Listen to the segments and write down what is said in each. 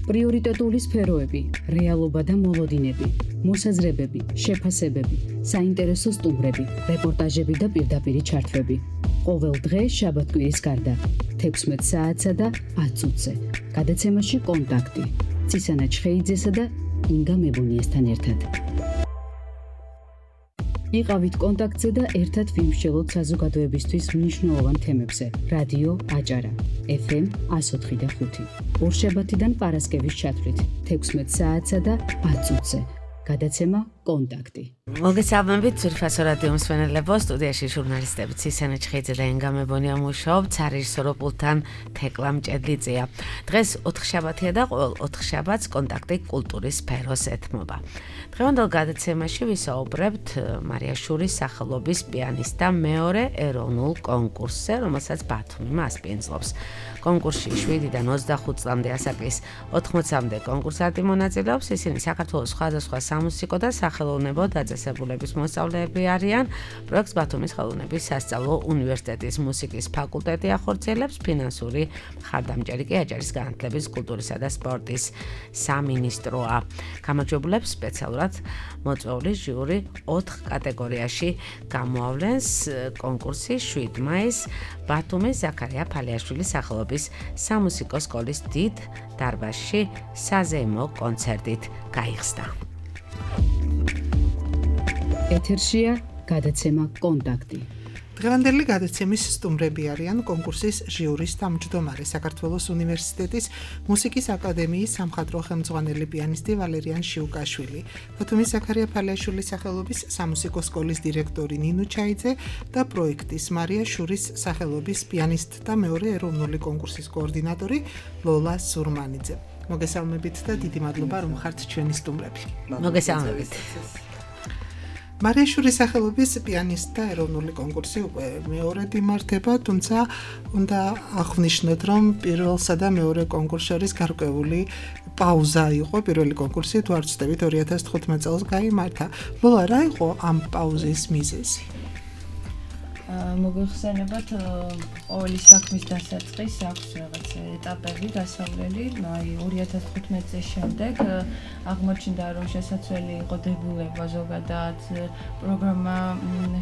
პრიორიტეტული სფეროები, რეალობა და მოლოდინები, მოსაზრებები, შეფასებები, საინტერესო სტუმრები, რეპორტაჟები და პირდაპირი ჩართვები. ყოველ დღე შაბათ-კვირის გარდა 16 საათსა და 10 წუთზე. გადაცემაში კონტაქტი. ცისანა ჩხეიძესა და ინგა მებუნიესთან ერთად. იყავით კონტაქტზე და ერთად ვიმსჯელოთ საზოგადოებისთვის მნიშვნელოვან თემებზე. რადიო აჭარა, FM 104.5. ორშაბათიდან პარასკევის ჩათვლით 16 საათსა და 10 წუთზე. გადაცემა კონტაქტი. მოგესალმებით ძვირფასო რადიო მსმენელებო, სტუდიაში ჟურნალისტები ცისანა ჩხეიძე და ინგა მებონია მუშაობთ, სარეჟისორო პულტთან თეკლა მჭედლიძეა. დღეს 4 შაბათია და ყოველ 4 შაბათს კონტაქტი კულტურის სფეროს ეთმობა. დღევანდელ გადაცემაში ვისაუბრებთ მარიაშურის სახელობის პიანისტთა მეორე ეროვნულ კონკურსზე, რომელსაც ბათუმი მასპინძლობს. კონკურსში 7-დან 25 წლამდე ასაკის 80-მდე კონკურსანტი მონაწილეობს. ისინი საქართველოს სხვადასხვა სამუსიკო და სახელოვნებო დაწესებულების მოსწავლეები არიან. პროექტს ბათუმის ხელოვნების სასწავლო უნივერსიტეტის მუსიკის ფაკულტეტი ახორციელებს. ფინანსური მხარდამჭერი კი აჭარის განათლების, კულტურისა და სპორტის სამინისტროა. გამარჯვებულებს სპეციალურად მოწვეული ჟიური 4 კატეგორიაში გამოავლენს. კონკურსი 7 მაისს ბათუმის ზაქარია ფალიაშვილის სახელობის სამუსიკო სკოლის დიდ დარბაზში საზეიმო კონცერტით გაიხსნა. ეთერშია გადაცემა კონტაქტი. დღევანდელი გადაცემის სტუმრები არიან კონკურსის ჟიურის თავმჯდომარე, საქართველოს უნივერსიტეტის მუსიკის აკადემიის სამხატვრო ხელმძღვანელი პიანისტი ვალერიან შიუკაშვილი, ბათუმის ზაქარია ფალიაშვილის სახელობის სამუსიკო სკოლის დირექტორი ნინო ჩაიძე და პროექტის მარიაშურის სახელობის პიანისტთა მეორე ეროვნული კონკურსის კოორდინატორი ლოლა სურმანიძე. მოგესალმებით და დიდი მადლობა რომ ხართ ჩვენი სტუმრები. მოგესალმებით. მარიაშურის სახელობის პიანისტთა ეროვნული კონკურსი უკვე მეორედ იმართება, თუმცა უნდა აღვნიშნოთ, რომ პირველსა და მეორე კონკურს შორის გარკვეული პაუზა იყო. პირველი კონკურსი, თუ არ ვცდებით, 2015 წელს გაიმართა. ლოლა, რა იყო ამ პაუზის მიზეზი? მოგეხსენებათ, ყოველი საქმის დასაწყის აქვს რაღაც ეტაპები გასავლელი. 2015 წლის შემდეგ აღმოჩნდა, რომ შესაძლებელი იყო დებულება ზოგადად. პროგრამა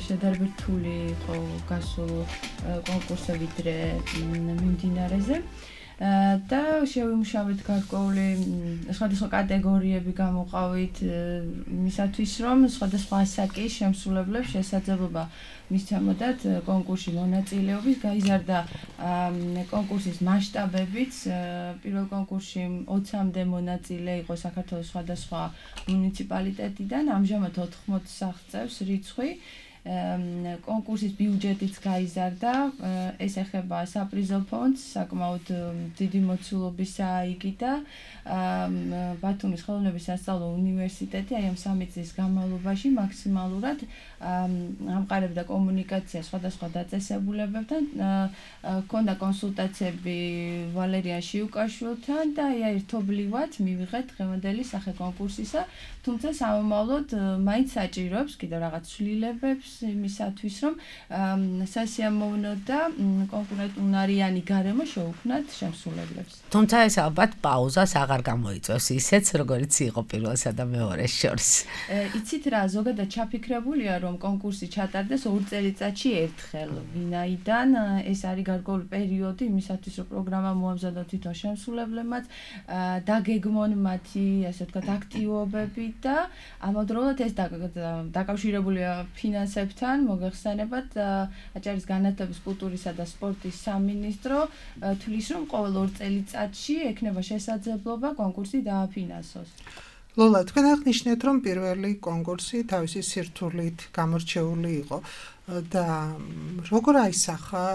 შედარებით რთული იყო გასულ კონკურსზე ვიდრე მიმდინარეზე. და შევიმუშავეთ გარკვეული სხვადასხვა კატეგორიები გამოყავით იმისათვის, რომ სხვადასხვა ასაკის შემსრულებლებს შესაძლებლობა მისცემოდათ კონკურსში მონაწილეობის. გაიზარდა კონკურსის მასშტაბებიც. პირველ კონკურსში 20-მდე მონაწილე იყო საქართველოს სხვადასხვა მუნიციპალიტეტიდან, ამჟამად 80 აღწევს რიცხვი. კონკურსის ბიუჯეტიც გაიზარდა, ეს ეხება საპრიზო ფონდს, საკმაოდ დიდი მოცულობისაა იგი და ბათუმის ხელოვნების სასწავლო უნივერსიტეტი აი ამ 3 წლის განმავლობაში მაქსიმალურად ამყარებდა კომუნიკაციას სხვადასხვა დაწესებულებებთან, ჰქონდა კონსულტაციები ვალერიან შიუკაშვილთან და აი ერთობლივად მივიღეთ დღევანდელი სახე კონკურსისა, თუმცა სამომავლოდ მაინც საჭიროებს კიდევ რაღაც ცვლილებებს იმისათვის, რომ სასიამოვნო და კონკურენტუნარიანი გარემო შეუქმნათ შემსრულებლებს. თუმცა ეს ალბათ პაუზას აღარ გამოიწვევს ისეც, როგორც იყო პირველსა და მეორეს შორის. იცით რა, ზოგადად ჩაფიქრებულია, რომ კონკურსი ჩატარდეს 2 წელიწადში ერთხელ, ვინაიდან ეს არის გარკვეული პერიოდი იმისათვის, რომ პროგრამა მოამზადონ თვითონ შემსრულებლებმაც, დაგეგმონ მათი, ასე ვთქვათ, აქტივობები და ამავდროულად ეს დაკავშირებულია ფინანსებთან. მოგეხსენებათ, აჭარის განათლების, კულტურისა და სპორტის სამინისტრო თვლის, რომ ყოველ 2 წელიწადში ექნება შესაძლებლობა კონკურსი დააფინანსოს. ლოლა, თქვენ აღნიშნეთ, რომ პირველი კონკურსი თავისი სირთულით გამორჩეული იყო და როგორ აისახა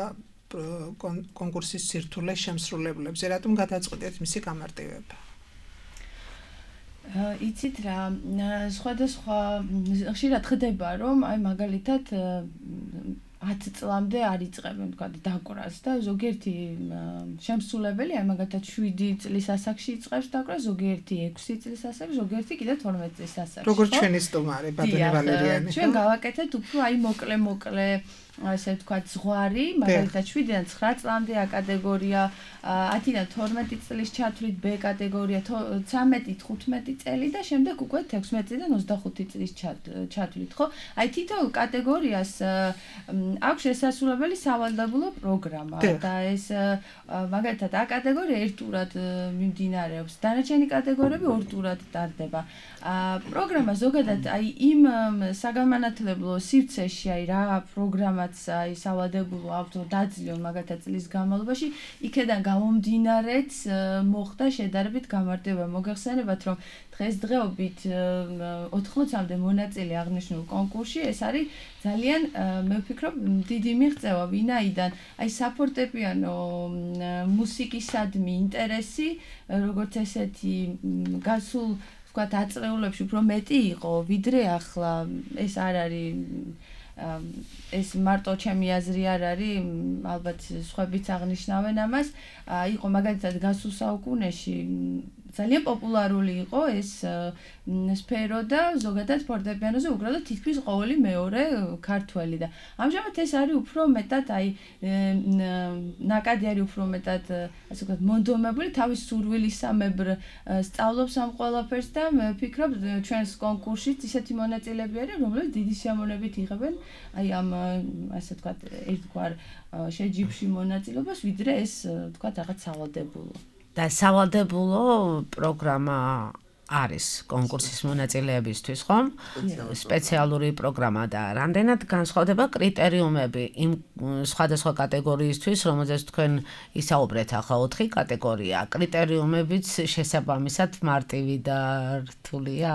კონკურსის სირთულე შემსრულებლებზე, რატომ გადაწყვეტეთ მისი გამარტივება? იცით რა, სხვადასხვა ხშირად ხდება, რომ აი მაგალითად 10 წლამდე არ იწყებენ თქვა დაკვრას და ზოგიერთი შემსრულებელი აი მაგალითად 7 წლის ასაკში იწყებს დაკვრას, ზოგიერთი 6 წლის ასაკში, ზოგიერთი კიდე 12 წლის ასაკში. როგორც ჩვენი სტუმარი ბატონი ვალერიანი. ჩვენ გავაკეთეთ უფრო აი მოკლე ასე ვთქვათ, ზღვარი, მაგალითად 7-დან 9 წლამდე A კატეგორია, 10-დან 12 წლის ჩათვლით B კატეგორია, 13-15 წელი და შემდეგ უკვე 16-დან 25 წლის ჩათვლით, ხო? აი თითოეულ კატეგორიას აქვს შესაძლებელი სავალდებულო პროგრამა და ეს მაგალითად A კატეგორია ერთურად მიმდინარეობს, დანარჩენი კატეგორიები ორ-ტურად ტარდება. პროგრამა ზოგადად აი იმ საგანმანათლებლო სივრცეში აი რა პროგრამაც აი სავალდებულო აქვს დაძლიონ მაგალითად წლის განმავლობაში, იქედან გამომდინარეც მოხდა შედარებით გამარტივება. მოგეხსენებათ, რომ დღესდღეობით 80-მდე მონაწილე აღნიშნულ კონკურსში ეს არის ძალიან მე ვფიქრობ დიდი მიღწევა, ვინაიდან აი საფორტეპიანო მუსიკისადმი ინტერესი როგორც ესეთი გასულ ვთქვათ აწრეულებში უფრო მეტი იყო, ვიდრე ახლა ეს არ არის ეს მარტო ჩემი აზრი არ არის, ალბათ სხვაებიც აღნიშნავენ ამას, იყო მაგალითად გასულ საუკუნეში ძალიან პოპულარული იყო ეს სფერო და ზოგადად ფორტეპიანოზე უკრავდა თითქმის ყოველი მეორე ქართველი და ამჟამად ეს არის უფრო მეტად აი ნაკადი არის უფრო მეტად ასე ვთქვათ მონდომებული თავის სურვილისამებრ სწავლობს ამ ყველაფერს და მე ვფიქრობ ჩვენს კონკურსშიც ისეთი მონაწილეები არის რომლებიც დიდი სიამოვნებით იღებენ აი ამ ასე ვთქვათ ერთგვარ შეჯიბრში მონაწილეობას ვიდრე ეს ვთქვათ რაღაც სავალდებულო და სავალდებულო პროგრამა არის კონკურსის მონაწილეებისთვის, ხომ? სპეციალური პროგრამა და რამდენად განსხვავდება კრიტერიუმები იმ სხვადასხვა კატეგორიისთვის, რომელზეც თქვენ ისაუბრეთ ახლა 4 კატეგორია. კრიტერიუმებიც შესაბამისად მარტივი და რთულია?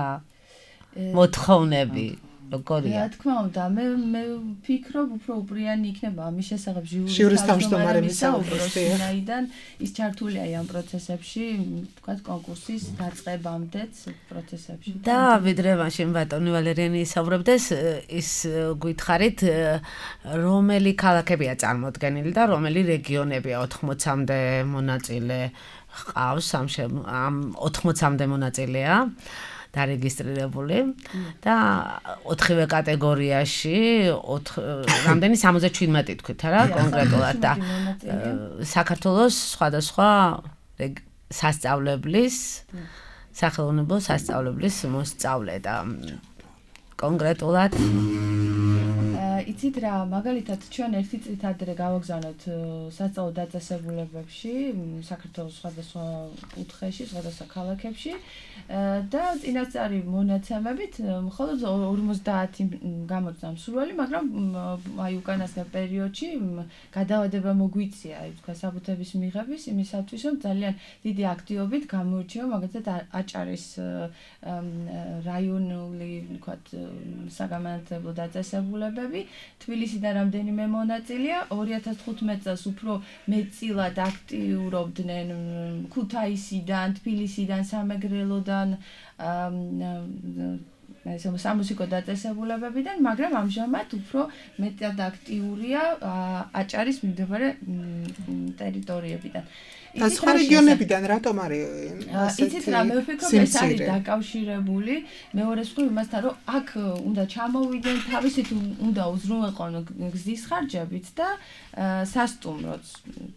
მოთხოვნები როგორია? რა თქმა უნდა, მე ვფიქრობ, უფრო უპრიანი იქნება ამის შესახებ ჟიურის თავმჯდომარების საუბრობს, ვინაიდან ის ჩართულია ამ პროცესებში, თქვათ კონკურსის დაწყებამდეც პროცესებში. და ვიდრე მაშინ ბატონი ვალერიანი ისაუბრებდეს, ის გითხარით, რომელი ქალაქებია წარმოდგენილი და რომელი რეგიონებია 80-მდე მონაწილე ჰყავს ამ 80-მდე მონაწილეა. დარეგისტრირებული და 4-ვე კატეგორიაში რამდენი 77 თქვით რა კონკრეტულად და საქართველოს სხვადასხვა სასწავლებლის სახელმწიფო სასწავლებლის მოსწავლე და კონკრეტულად იცით რა, მაგალითად ჩვენ ერთი წლით ადრე გავაგზავნოთ სასწავლო დაწესებულებებში, საქართველოს სხვადასხვა კუთხეში, სხვადასხვა ქალაქებში და წინასწარი მონაცემებით მხოლოდ 50 გამოჩნდა მსურველი, მაგრამ აი უკანასკნელ პერიოდში გადავადება მოგვიწია, აი თქვა საბუთების მიღების იმისათვის, რომ ძალიან დიდი აქტივობით გამოირჩევა მაგალითად აჭარის რაიონული, ვთქვათ, საგანმანათლებლო დაწესებულებები თბილისიდან რამდენიმე მონაწილეა 2015 წელს უფრო მეტწილად აქტიურობდნენ ქუთაისიდან, თბილისიდან, სამეგრელოდან სამუსიკო დაწესებულებებიდან, მაგრამ ამჟამად უფრო მეტად აქტიურია აჭარის მიმდებარე ტერიტორიებიდან. და სხვა რეგიონებიდან რატომ არის იცით რა, მე ვფიქრობ ეს არის დაკავშირებული მეორე მხრივ იმასთან, რომ აქ უნდა ჩამოვიდნენ თავისით უნდა უზრუნველყონ გზის ხარჯებით და სასტუმროც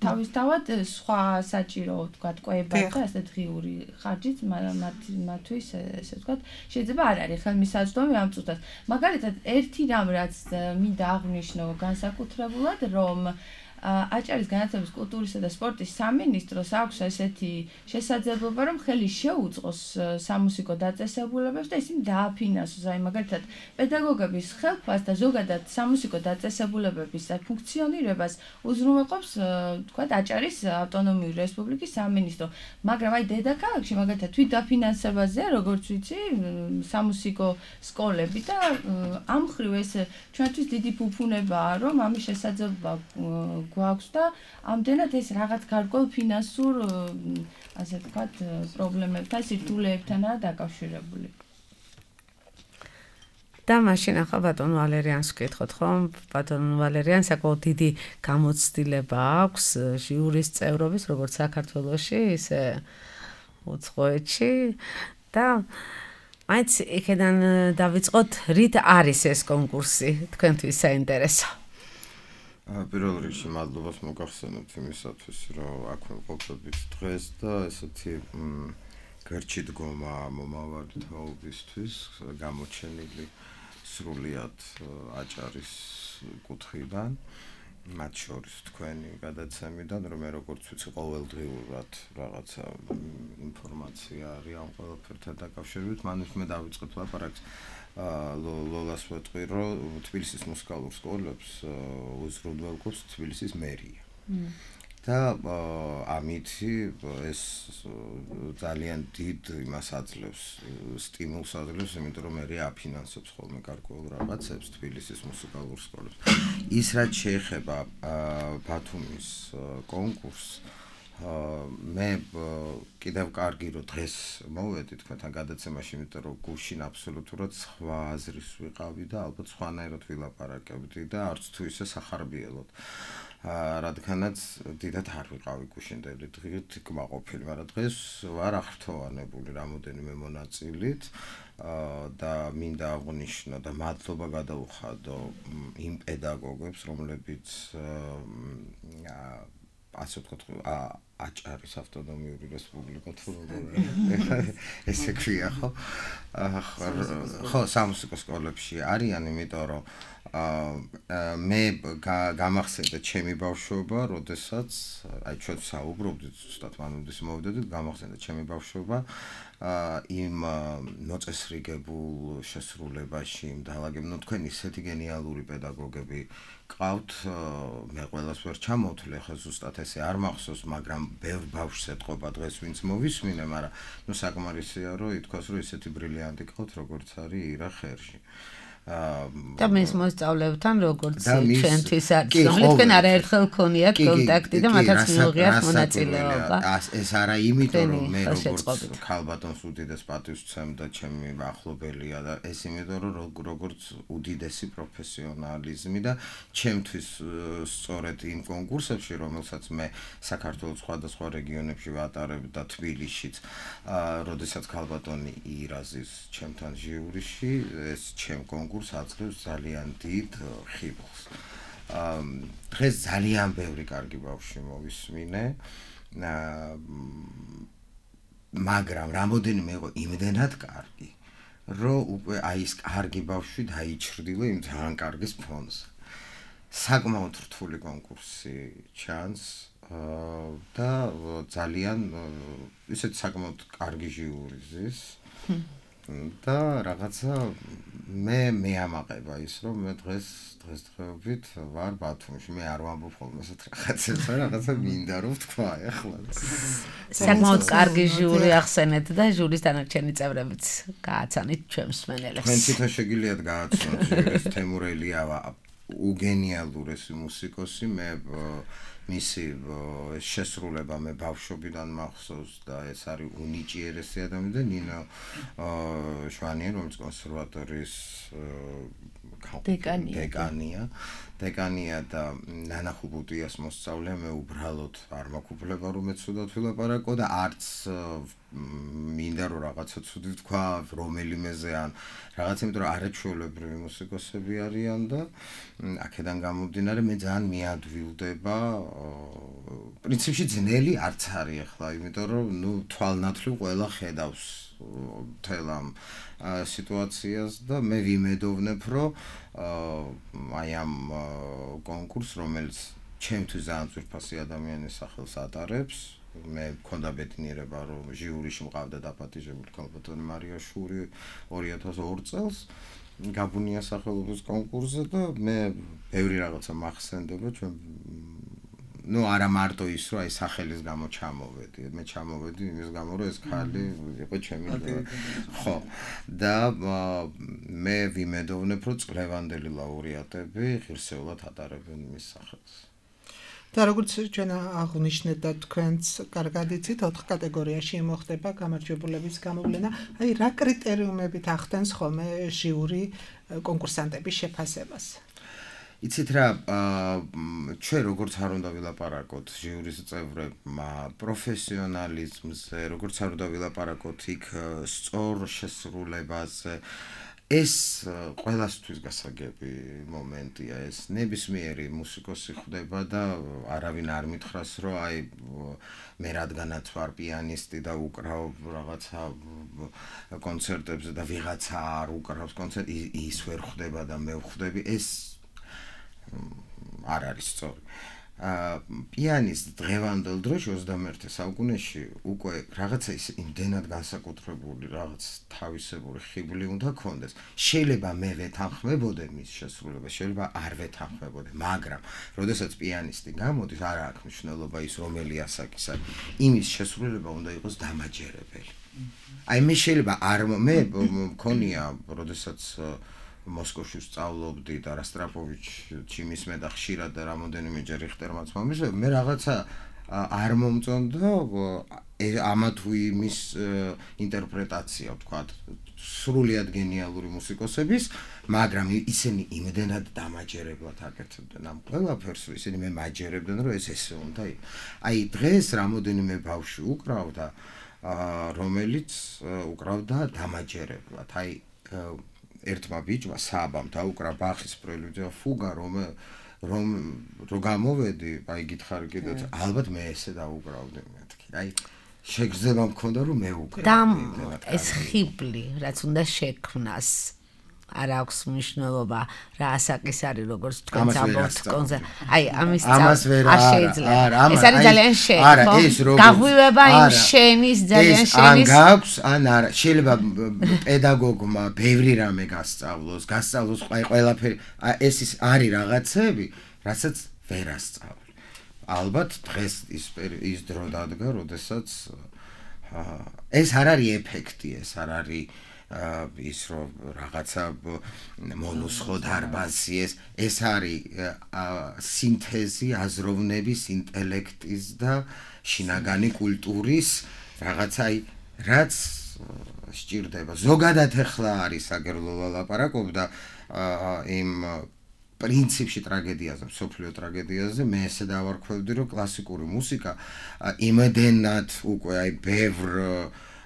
თავისთავად სხვა საჭირო ვთქვათ კვებად და ასეთ ღიური ხარჯით მათთვის ესე ვთქვათ შეიძლება არ არის ხელმისაწვდომი ამ წუთას. მაგალითად ერთი რამ რაც მინდა აღვნიშნო განსაკუთრებულად, რომ აჭარის განათლების, კულტურისა და სპორტის სამინისტროს აქვს ესეთი შესაძლებლობა, რომ ხელი შეუწყოს სამუსიკო დაწესებულებებს და ისინი დააფინანსოს. აი მაგალითად, პედაგოგების ხელფას და ზოგადად სამუსიკო დაწესებულებების ფუნქციონირებას უზრუნველყოფს, თქვათ, აჭარის ავტონომიური რესპუბლიკის სამინისტრო. მაგრამ აი დედაქალაქში მაგალითად თვით დაფინანსებაზეა, როგორც ვიცი, სამუსიკო სკოლები და ამ მხრივ ეს ჩვენთვის დიდი ფუფუნებაა, რომ ამის შესაძლებლობა გვაქვს და ამდენად ეს რაღაც გარკვეულ ფინანსურ ასე ვთქვათ პრობლემებთან, სირთულეებთანაა დაკავშირებული. და მაშინ ახლა ბატონ ვალერიანს ვკითხოთ, ხომ? ბატონ ვალერიანს საკმაოდ დიდი გამოცდილება აქვს ჟიურის წევრობის, როგორც საქართველოში, ისე უცხოეთში და მაინც იქიდან დავიწყოთ, რით არის ეს კონკურსი თქვენთვის საინტერესო? პირველ რიგში მადლობას მოგახსენებთ იმისათვის, რომ აქ ვიმყოფებით დღეს და ესეთი გერჩი დგომა მომავალი თაობისთვის გამოჩენილი სრულიად აჭარის კუთხიდან, მათ შორის თქვენი გადაცემიდან, რომ მე როგორც ვიცი, ყოველდღიურად რაღაცა ინფორმაცია არის ამ ყველაფერთან დაკავშირებით, მანვე მე დავიწყებ ლაპარაკს ლოლას ვეტყვი, რომ თბილისის მუსიკალურ სკოლებს უზრუნველყოფს თბილისის მერია. და ამით ეს ძალიან დიდ იმას აძლევს, სტიმულს აძლევს, იმიტომ რომ მერია აფინანსებს ხოლმე გარკვეულ რაღაცებს თბილისის მუსიკალურ სკოლებს. ის რაც შეეხება ბათუმის კონკურსს, მე კიდევ კარგი რომ დღეს მოვედი თქვენთან გადაცემაში, იმიტომ რომ გუშინ აბსოლუტურად სხვა აზრის ვიყავი და ალბათ სხვანაირად ვილაპარაკებდი და არც თუ ისე სახარბიელოდ. რადგანაც დიდად არ ვიყავი გუშინდელი დღით კმაყოფილი, მაგრამ დღეს ვარ აღფრთოვანებული რამოდენიმე მონაწილით და მინდა აღვნიშნო და მადლობა გადაუხადო იმ პედაგოგებს, რომლებიც ასე ვთქვათ, აჭარის ავტონომიური რესპუბლიკა თუ ესე ქვია, ხო? ხო, სამუსიკო სკოლებში არიან, იმიტომ რომ მე გამახსენდა ჩემი ბავშვობა, როდესაც აი ჩვენ საუბრობდით, ზუსტად მანუდის მოვიდოდით, გამახსენდა ჩემი ბავშვობა იმ მოწესრიგებულ შესრულებაში, იმ დალაგებულ, თქვენ ისეთი გენიალური პედაგოგები ყავთ, მე ყველას ვერ ჩამოვთვლი, ახლა ზუსტად ესე არ მახსოვს, მაგრამ ბევრ ბავშვს ეთყობა დღეს ვინც მოვისმინე, მაგრამ ნუ საკმარისია რომ ითქვას, რომ ისეთი ბრილიანტი ყავთ, როგორც არის ირა ხერში. და მის მოსწავლეებთან როგორც ჩვენთვის არის, რომლებთან არაერთხელ ქონიათ კონტაქტი და მათაც მიუღიათ მონაწილეობა. ეს არა იმიტომ რომ მე როგორც ქალბატონს უდიდეს პატივს ვცემ და ჩემი ახლობელია და ეს იმიტომ რომ როგორც უდიდესი პროფესიონალიზმი და ჩემთვის სწორედ იმ კონკურსებში, რომელსაც მე საქართველოს სხვადასხვა რეგიონებში ვატარებ და თბილისშიც, როდესაც ქალბატონი ირაზის ჩემთან ჟიურიში, ეს ჩემ აძლევს ძალიან დიდ ხიბლს. დღეს ძალიან ბევრი კარგი ბავშვი მოვისმინე, მაგრამ რამოდენიმე იყო იმდენად კარგი, რომ უკვე აი ეს კარგი ბავშვი დაიჩრდილა იმ ძალიან კარგის ფონზე. საკმაოდ რთული კონკურსი ჩანს და ძალიან ისეთ საკმაოდ კარგი ჟიური ზის. და რაღაცა მე ამაყება ის რომ მე დღესდღეობით ვარ ბათუმში, მე არ ვამბობ ხოლმე ესეთ რაღაცებს, რაღაცა მინდა რომ ვთქვა ახლა. საკმაოდ კარგი ჟური ახსენეთ და ჟურის დანარჩენი წევრებიც გააცანით ჩვენ მსმენელებს. თქვენ თვითონ შეგიძლიათ გააცნოთ ჟურის თემურ ელიავა, უგენიალურესი მუსიკოსი, მე მისი შესრულება მე ბავშვობიდან მახსოვს და ეს არის უნიჭიერესი ადამიანი და ნინო შვანია, რომელიც კონსერვატორიის დეკანია და ნანა ხუბუტიას მოსწავლე, მე უბრალოდ არ მაქვს რომ მეცუდად ვილაპარაკო და არც მინდა რომ რაღაცა ცუდი ვთქვა რომელიმეზე ან რაღაც, იმიტომ რომ არაჩვეულებრივი მუსიკოსები არიან და აქედან გამომდინარე მე ძალიან მიადვილდება, პრინციპში ძნელი არც არის ახლა, იმიტომ რომ ნუ თვალნათლივ ყველა ხედავს მთელ ამ სიტუაციას და მე ვიმედოვნებ, რომ აი ამ კონკურსს, რომელიც ჩემთვის ძალიან ძვირფასი ადამიანის სახელს ატარებს, მე მქონდა ბედნიერება, რომ ჟიურიში მყავდა დაპატიჟებული ქალბატონი მარია შური 2002 წელს გაბუნია სახელობის კონკურსზე და მე ბევრი რაღაცა მახსენდება ჩვენ ნუ არა მარტო ის რომ აი სახელის გამო ჩამოვედი, მე ჩამოვედი იმის გამო რომ ეს ხალი იყო ჩემი ხო და მე ვიმედოვნებ რომ წლევანდელი ლაურეატები ღირსეულად ატარებენ მის სახელს. და როგორც ჩვენ აღვნიშნეთ და თქვენც კარგად იცით, 4 კატეგორიაში მოხდება გამარჯვებულების გამოვლენა. აი რა კრიტერიუმებით ახდენს ხოლმე ჟიური კონკურსანტების შეფასებას? იცით რა, ჩვენ როგორც არ უნდა ვილაპარაკოთ ჟიურის წევრებმა პროფესიონალიზმზე, როგორც არ უნდა ვილაპარაკოთ იქ სწორ შესრულებაზე, ეს ყველასთვის გასაგები მომენტია ეს ნებისმიერი მუსიკოსი ხდება და არავინ არ მითხრას რომ აი მე რადგანაც ვარ პიანისტი და უკრავ რაღაცა კონცერტებზე და ვიღაცა არ უკრავს კონცერტს ის ვერ ხდება და მე ვხდები ეს არ არის სწორი პიანისტ დღევანდელ დროში 21 საუკუნეში უკვე რაღაცა ის იმდენად განსაკუთრებული რაღაც თავისებური ხიბლი უნდა ქონდეს შეიძლება მე ვეთანხმებოდე მის შესრულებას შეიძლება არ ვეთანხმებოდე მაგრამ როდესაც პიანისტი გამოდის არ აქვს მნიშვნელობა ის რომელი ასაკის არის იმის შესრულება უნდა იყოს დამაჯერებელი აი მე შეიძლება არ მე მქონია როდესაც მოსკოვში სწავლობდი და რასტრაპოვიჩი მისმე და ხშირად და რამოდენიმეჯერ რიხტერმაც მომისვე მე რაღაცა არ მომწონდა ამა თუ იმის ინტერპრეტაცია ვთქვათ სრულიად გენიალური მუსიკოსების მაგრამ ისინი იმდენად დამაჯერებლად აკეთებდნენ ამ ყველაფერს ისინი მე მაჯერებდნენ რომ ეს ესე უნდა აი დღეს რამოდენიმე ბავშვი უკრავდა რომელიც უკრავდა დამაჯერებლად აი ერთმა ბიჭმა საბამ დაუკრა ბახის პრელუდია ფუგა რომ გამოვედი აი გითხარი კიდეც ალბათ მე ესე დაუკრავდი მეთქი აი შეგრძნება მქონდა რომ მე უკრავდი და ეს ხიბლი რაც უნდა შექმნას არ აქვს მნიშვნელობა რა ასაკის არის როგორც თქვენ ამბობთ კონცერტ აი ამის არ შეიძლება ეს არის ძალიან შენი გაღვივება იმ შენის ძალიან შენის ან გაქვს ან არა შეიძლება პედაგოგმა ბევრი რამე გასწავლოს ყველაფერი ეს არის რაღაცები რასაც ვერ ასწავლი ალბათ დღეს ის დრო დადგა როდესაც ეს არ არის ეფექტი ეს არ არის ის რომ რაღაცა მონუსხო დარბაზი ეს არის სინთეზი აზროვნების ინტელექტის და შინაგანი კულტურის რაღაცა რაც სჭირდება ზოგადად ახლა არის აგერლოლა ლაპარაკობდა იმ პრინციპში ტრაგედიაზე სოფლიო ტრაგედიაზე მე ესე დავარქვევდი რომ კლასიკური მუსიკა იმდენად უკვე აი ბევრ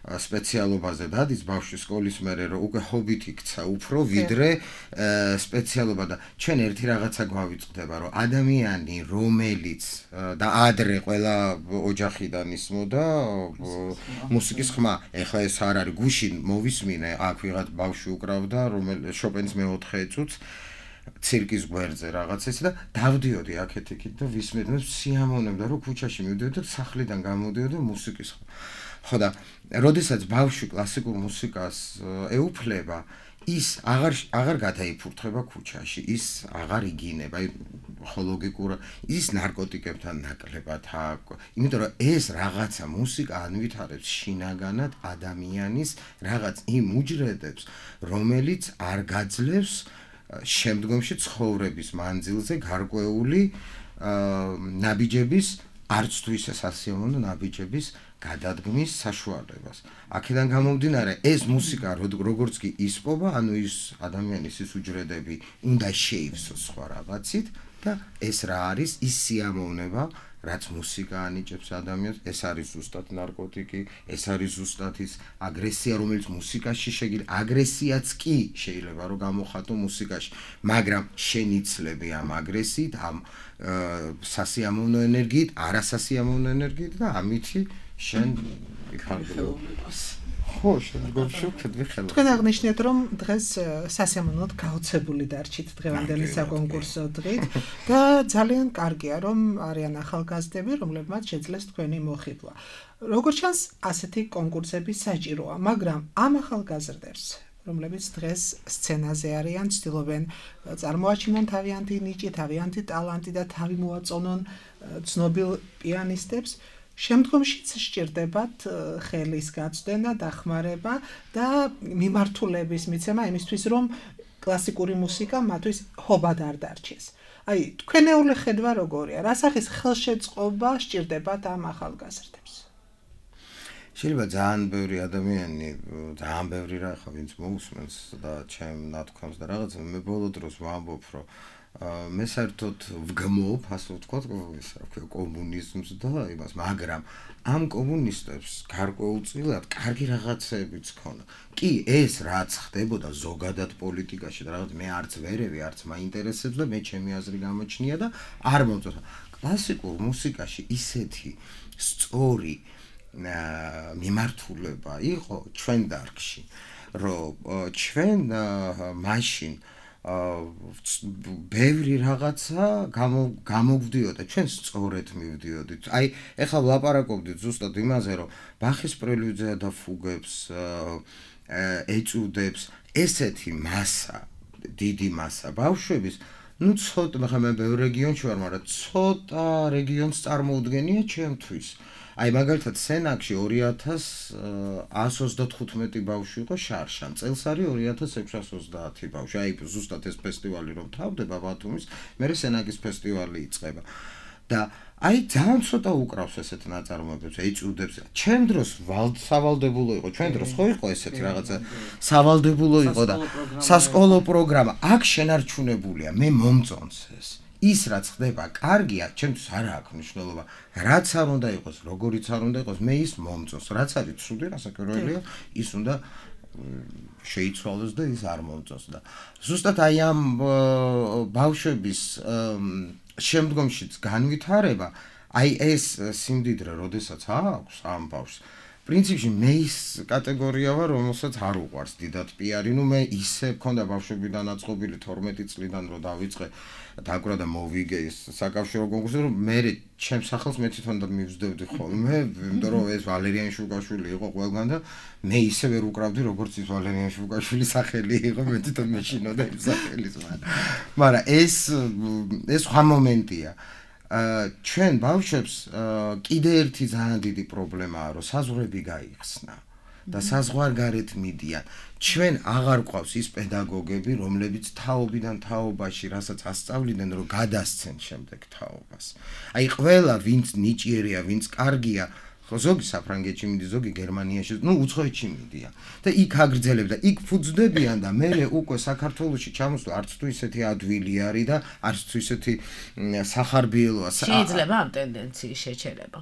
სპეციალობაზე დადის ბავშვის სკოლის მერე რომ უკვე ჰობით იქცა უფრო ვიდრე სპეციალობა და ჩვენ ერთი რაღაცა გვავიწყდება რომ ადამიანი რომელიც და ადრე ყველა ოჯახიდან ისმოდა მუსიკის ხმა ეხლა ეს არ არის გუშინ მოვისმინე აქ ვიღაც ბავშვი უკრავდა რომელიც შოპენის მე-4 წუთს ცირკის გვერდზე რაღაც ეს და დავდიოდი აქეთ იქით და ვისმენდი სიამოვნებდა რომ ქუჩაში მივდიოდი და სახლიდან გამოდიოდი მუსიკის ხო და როდესაც ბავშვი კლასიკურ მუსიკას ეუფლება ის აღარ გადაიფურთხება ქუჩაში ის აღარ იგინება ლოგიკურ ის ნარკოტიკებთან ნაკლებად იმიტომ რომ ეს რაღაცა მუსიკა ანვითარებს შინაგანად ადამიანის რაღაც იმ უჯრედებს რომელიც არ გაძლევს შემდგომში ცხოვრების მანძილზე გარკვეული ნაბიჯების არც თუ ისე სასიამოვნო ნაბიჯების გადადგმის საშუალებას. აქედან გამომდინარე, ეს მუსიკა როგორც კი ისპობა, ანუ ის ადამიანის ის უჯრედები უნდა შეივსოს სხვა რაღაცით და ეს რა არის ის სიამოვნება, რაც მუსიკა ანიჭებს ადამიანს, ეს არის ზუსტად ნარკოტიკი, ეს არის ზუსტად ის აგრესია, რომელიც მუსიკაში შეიძლება, აგრესიაც კი შეიძლება რომ გამოხატო მუსიკაში, მაგრამ შენიცლები ამ აგრესიით, ამ სასიამოვნო ენერგიით, არასასიამოვნო ენერგიით და ამითი შენ იხარბლობას. ხო, შენ გოშუქდები ხელს. თქვენ აღნიშნეთ, რომ დღეს სასიამოვნოდ გაოცებული დარჩით დღევანდელი საკონკურსო დღით და ძალიან კარგია, რომ არიან ახალგაზრდები, რომლებმაც შეძლეს თქვენი მოხიბლა. როგორც ჩანს, ასეთი კონკურსები საჭიროა, მაგრამ ამ ახალგაზრდებს რომლებიც დღეს სცენაზე არიან, ცდილობენ წარმოაჩინონ თავიანთი ნიჭი, თავიანთი ტალანტი და თავი მოაწონონ ცნობილ პიანისტებს. შემდგომშიც სჭირდებათ ხელის გაწვდენა, დახმარება და მიმართულების მიცემა იმისთვის, რომ კლასიკური მუსიკა მათთვის ჰობად არ დარჩეს. აი, თქვენეული ხედვა როგორია? რა სახის ხელშეწყობა სჭირდებათ ამ ახალგაზრდებს? შეიძლება ძალიან ბევრი ადამიანი, ძალიან ბევრი რა ხა ვინც მოусმენს და ჩემ ნათქვამს და რაღაცა მე ბოლო დროს ვამბობ, რომ მე საერთოდ ვგმობ, ასე ვთქვათ, ის რა ქვია, კომუნიზმს და იმას, მაგრამ ამ კომუნისტებს გარკვეულწილად კარგი რაღაცებიც ქონა. კი, ეს რაც ხდებოდა ზოგადად პოლიტიკაში და რაღაც მე არც ვერევი, არც მაინტერესებს და მე ჩემი აზრი გამოჩნია და არ მომწონს. კლასიკურ მუსიკაში ისეთი სწორი მიმართულება იყო ჩვენ დარგში, რომ ჩვენ მაშინ ბევრი რაღაცა გამოგვდიოდა, ჩვენ სწორედ მივდიოდით. აი, ეხლა ვლაპარაკობდით ზუსტად იმაზე, რომ ბახის პრელუდია და ფუგებს ეწუდებს ესეთი მასა, დიდი მასა ბავშვების, ну ცოტა, მაგრამ მე ბევრ რეგიონში ვარ, მაგრამ ცოტა რეგიონს წარმოუდგენია ჩემთვის. აი მაგალითად სენაკში 2135 ბავშვი იყო შარშან. წელს არის 2630 ბავშვი. აი ზუსტად ეს ფესტივალი რომ თავდება ბათუმის, მერე სენაკის ფესტივალი იწყება. და აი ძალიან ცოტა უკრავს ესეთ ნაწარმოებებს, ეწუდებს. ჩემ დროს სავალდებულო იყო, ჩვენ დროს ხო იყო ესეთი რაღაცა სავალდებულო იყო და სასკოლო პროგრამა. აქ შენარჩუნებულია, მე მომწონს ეს. ის რაც ხდება, კარგია, ჩემთვის არ აქვს მნიშვნელობა. რაც არ უნდა იყოს, როგორიც არ უნდა იყოს, მე ის მომწონს. რაც არის ცუდი, რასაკვირველია, ის უნდა შეიცვალოს და ის არ მომწონს და ზუსტად აი ამ ბავშვების შემდგომშიც განვითარება, აი ეს სიმდიდრე, როდესაც აქვს ამ ბავშვს, პრინციპში მე ის კატეგორია ვარ, რომელსაც არ უყვარს დიდად პიარი, ну მე ისე მქონდა ბავშვებიდან აწყობილი 12 წლიდან რომ დავიწყე დაკვრა და მოვიგე ის საკავშირო კონკურსი, რომ მე ჩემს სახელს მე თვითონ და მივსდევდი ხოლმე, იმიტომ რომ ეს ვალერიან შუკაშვილი იყო ყველგან და მე ისე ვერ უკრავდი, როგორც ის ვალერიან შუკაშვილის სახელი იყო, მე თვითონ მეშინოდა იმ სახელის, მაგრამ ეს სხვა მომენტია. ჩვენ ბავშვებს კიდე ერთი ძალიან დიდი პრობლემაა, რომ საზღვრები გაიხსნა და საზღვარგარეთ მიდიან. ჩვენ აღარ გვყავს ის პედაგოგები, რომლებიც თაობიდან თაობაში, რასაც ასწავლიდნენ, რომ გადასცენ შემდეგ თაობას. აი ყველა, ვინც ნიჭიერია, ვინც კარგია, ხო ზოგი საფრანგეთში მიდის, ზოგი გერმანიაში, ну უცხოეთში მიდიან. და იქ აგრძელებდა, იქ ფუძდებიან და მე უკვე საქართველოში ჩამოსვლა არც თუ ისეთი ადვილი არის და არც თუ ისეთი სახარბიელოა. შეიძლება ამ ტენდენციის შეჩერება.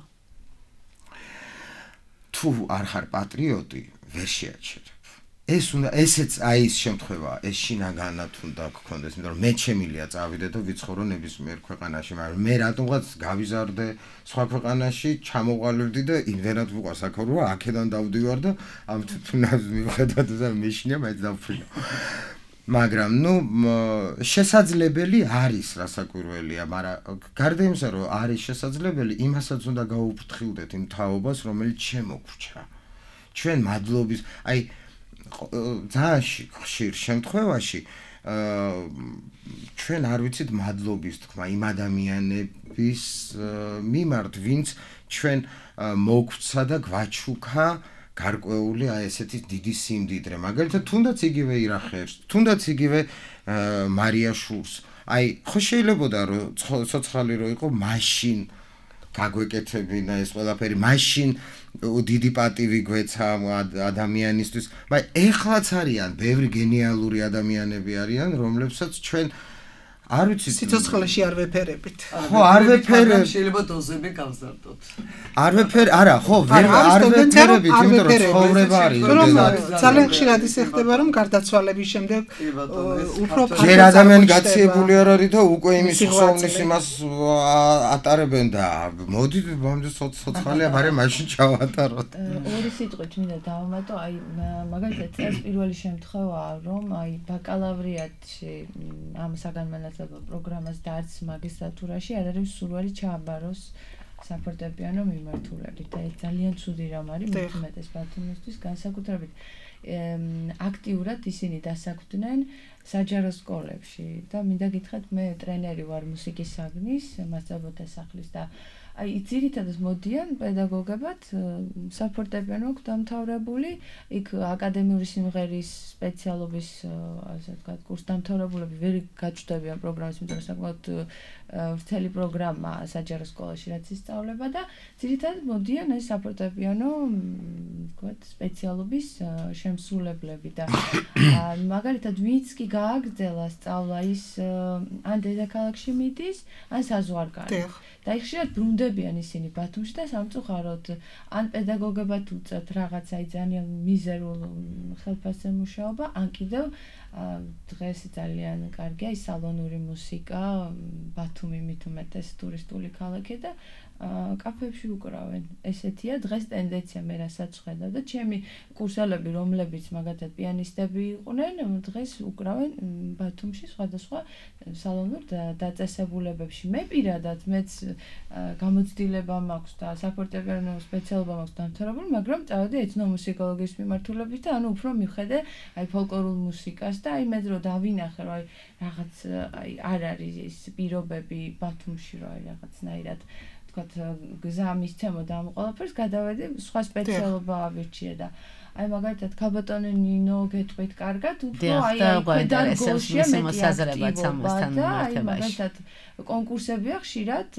თუ არ ხარ პატრიოტი, ვერ შეაჩერებ. ესეც აი ის შემთხვევაა, ეს შინაგანად უნდა გქონდეს, იმიტომ რომ მე შემილია წავიდე და ვიცხოვრო ნებისმიერ ქვეყანაში, მაგრამ მე რატომღაც გავიზარდე სხვა ქვეყანაში, ჩამოყალიბდი და იმდენად ვიყავს აქ რომ აქედან დავდივარ და ამ თუნდაც მივხედავ და მეშინია მაინც დავფრინო. მაგრამ ნუ შესაძლებელი არის რასაკვირველია, მაგრამ გარდა იმისა რომ არის შესაძლებელი, იმასაც უნდა გაუფრთხილდეთ იმ თაობას, რომელიც შემოგვრჩა. ჩვენ მადლობის, აი ძალიან ხშირ შემთხვევაში ჩვენ არ ვიცით მადლობის თქმა იმ ადამიანების მიმართ, ვინც ჩვენ მოგვრცა და გვაჩუქა გარკვეული აი ესეთი დიდი სიმდიდრე. მაგალითად, თუნდაც იგივე ირახევს, თუნდაც იგივე მარია შურს. აი, ხო შეიძლებოდა რომ ცოცხალი რო იყო, მაშინ გაგვეკეთებინა ეს ყველაფერი, მაშინ დიდი პატივი გვეცა ადამიანისთვის, მაგრამ ეხლაც არიან ბევრი გენიალური ადამიანები არიან, რომლებსაც ჩვენ არ ვიცი სიცოცხლეში არ ვეფერებით. ხო, არ ვეფერებ. შეიძლება დოზები გავზარდოთ. არ ვეფერ, არა, ხო, არ ვეფერებით, იმიტომ რომ ცხოვრება არის. ძალიან ხშირად ისე ხდება, რომ გარდაცვალების შემდეგ უფრო ჯერ ადამიანი გაციებული არ არის და უკვე იმის ხსოვნის იმას ატარებენ და მოდი ბამდე ცოცხალია, მაგრამ მაშინ ჩავატაროთ. ორი სიტყვით მინდა დავამატო, აი მაგალითად ეს პირველი შემთხვევაა, რომ აი ბაკალავრიატში ამ საგანმანათლებლო პროგრამას და არც მაგისტრატურაში არ არის სურვილი ჩააბაროს საფორტეპიანო მიმართულებით და ეს ძალიან ცუდი რამ არის მეტუმეტეს ბათუმისთვის განსაკუთრებით აქტიურად ისინი დასაქმდნენ საჯარო სკოლებში და მინდა გითხრათ მე ტრენერი ვარ მუსიკის საგნის მასწავლებელთა სახლის და აი ძირითადად მოდიან პედაგოგებად საფორტეპიანო აქვს დამთავრებული იქ აკადემიური სიმღერის სპეციალობის ასე ვთქვათ კურსდამთავრებულები ვერ გაჩნდებიან პროგრამას იმიტომ რომ საკმაოდ ვრცელი პროგრამა საჯარო სკოლაში რაც ისწავლება და ძირითადად მოდიან ეს საფორტეპიანო ვთქვათ ვთქვათ, სპეციალობის შემსრულებლები და მაგალითად ვინც კი გააგრძელა სწავლა ის ან დედაქალაქში მიდის, ან საზღვარგარეთ. და ხშირად ბრუნდებიან ისინი ბათუმში და სამწუხაროდ ან პედაგოგებად უწევთ რაღაც აი ძალიან მიზერულ ხელფასზე მუშაობა, ან კიდევ დღეს ძალიან კარგია ის სალონური მუსიკა, ბათუმი მით უმეტეს ტურისტული ქალაქი და კაფეებში უკრავენ. ესეთია დღეს ტენდენცია, მე რასაც ვხედავ და ჩემი კურსელები, რომლებიც მაგათად პიანისტები იყვნენ, დღეს უკრავენ ბათუმში სხვადასხვა სალონურ დაწესებულებებში. მე პირადად მეც გამოცდილება მაქვს და საფორტეპიანო სპეციალობა მაქვს დამთავრებული, მაგრამ წავედი ეთნომუსიკოლოგიის მიმართულებით და ანუ უფრო მივხედე აი ფოლკლორულ მუსიკას და აი მე რო დავინახე რომ აი რაღაც აი არ არის ის პირობები ბათუმში რომ აი რაღაცნაირად გზა მისცემოდა ამ ყველაფერს, გადავედი სხვა სპეციალობა ავირჩიე და აი მაგალითად ქალბატონი ნინო გეტყვით კარგად, უფრო აი პედაგოგია მეტი აქტივობა და აი მაგალითად კონკურსებია ხშირად,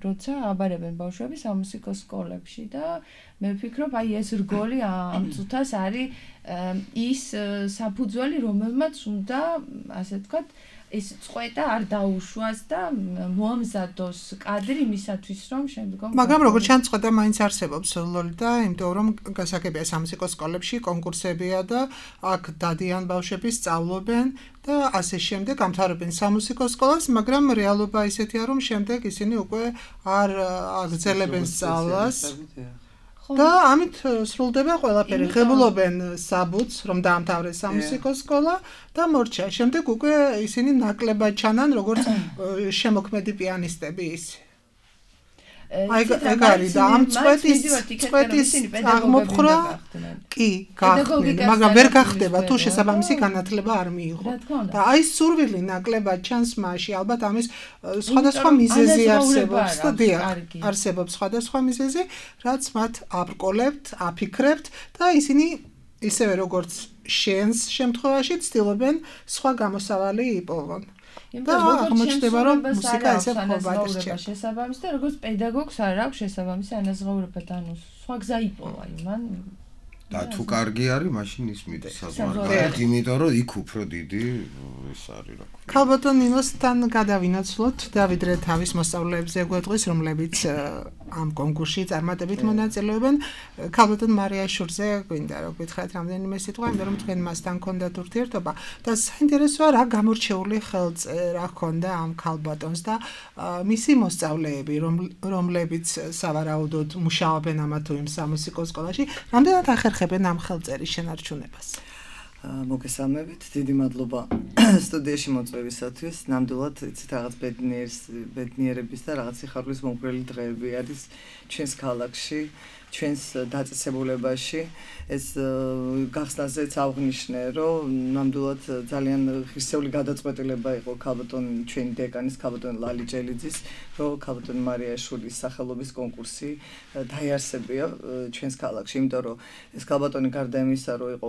როცა აბარებენ ბავშვები სამუსიკო სკოლებში და მე ვფიქრობ, აი ეს რგოლი ამ წუთას არის ის საფუძველი, რომელმაც უნდა, ასე ვთქვათ, ეს წყვეტა არ დაუშვას და მოამზადოს კადრი იმისათვის, რომ შემდგომ მაგრამ როგორც ჩანს, წყვეტა მაინც არსებობს ლოლიტა, იმიტომ რომ გასაგებია სამუსიკო სკოლებში კონკურსებია და აქ დადიან ბავშვები, სწავლობენ და ასე შემდეგ ამთავრებენ სამუსიკო სკოლას, მაგრამ რეალობა ისეთია, რომ შემდეგ ისინი უკვე არ აგრძელებენ სწავლას. და ამით სრულდება ყველაფერი. ღებულობენ საბუთს, რომ დაამთავრეს სამუსიკო სკოლა და მორჩა. შემდეგ უკვე ისინი ნაკლებად ჩანან, როგორც შემოქმედი პიანისტები ისე. აი ეგ არის და ამ წვეთის აღმოფხრა კი გახდნენ, მაგრამ ვერ გახდება თუ შესაბამისი განათლება არ მიიღო. და აი სურვილი ნაკლებად ჩანს მასში, ალბათ ამის სხვადასხვა მიზეზი არსებობს და დიახ, არსებობს სხვადასხვა მიზეზი, რაც მათ აბრკოლებთ, აფიქრებთ და ისინი ისევე როგორც შენს შემთხვევაში ცდილობენ სხვა გამოსავალი იპოვონ. და აღმოჩნდება რომ მუსიკა ესე ხობად რჩება შესაბამის და როგორც პედაგოგს არ აქვს შესაბამისი ანაზღაურება და ანუ სხვა გზა იპოვა იმან და თუ კარგი არის მაშინ ის მიდის საზღვარგარეთ, იმიტომ რომ იქ უფრო დიდი ეს არის რა ქვია. ქალბატონ ნინოსთან გადავინაცვლოთ დავიდრე თავის მოსწავლეებზე გვეტყვის, რომლებიც ამ კონკურსში წარმატებით მონაწილეობენ. ქალბატონ მარიაშურზე გვინდა რომ გითხრათ რამდენიმე სიტყვა, იმიტომ რომ თქვენ მასთან გქონდათ ურთიერთობა და საინტერესოა რა გამორჩეული ხელწერა ჰქონდა ამ ქალბატონს და მისი მოსწავლეები, რომლებიც სავარაუდოდ მუშაობენ ამა თუ იმ სამუსიკო სკოლაში, რამდენად ახერხებენ ამ ხელწერის შენარჩუნებას. მოგესალმებით, დიდი მადლობა სტუდიაში მოწვევისათვის. ნამდვილად იცით რაღაც ბედნიერების და რაღაც სიხარულის მომგვრელი დღეები არის ჩვენს ქალაქში, ჩვენს დაწესებულებაში. ეს გახსნაზეც აღნიშნე, რომ ნამდვილად ძალიან ღირსეული გადაწყვეტილება იყო ქალბატონ ჩვენი დეკანის ქალბატონ ლალი ჯელიძის, რომ ქალბატონ მარიაშვილის სახელობის კონკურსი დაიარსებია ჩვენს ქალაქში, იმიტომ რომ ეს ქალბატონი გარდა იმისა, რომ იყო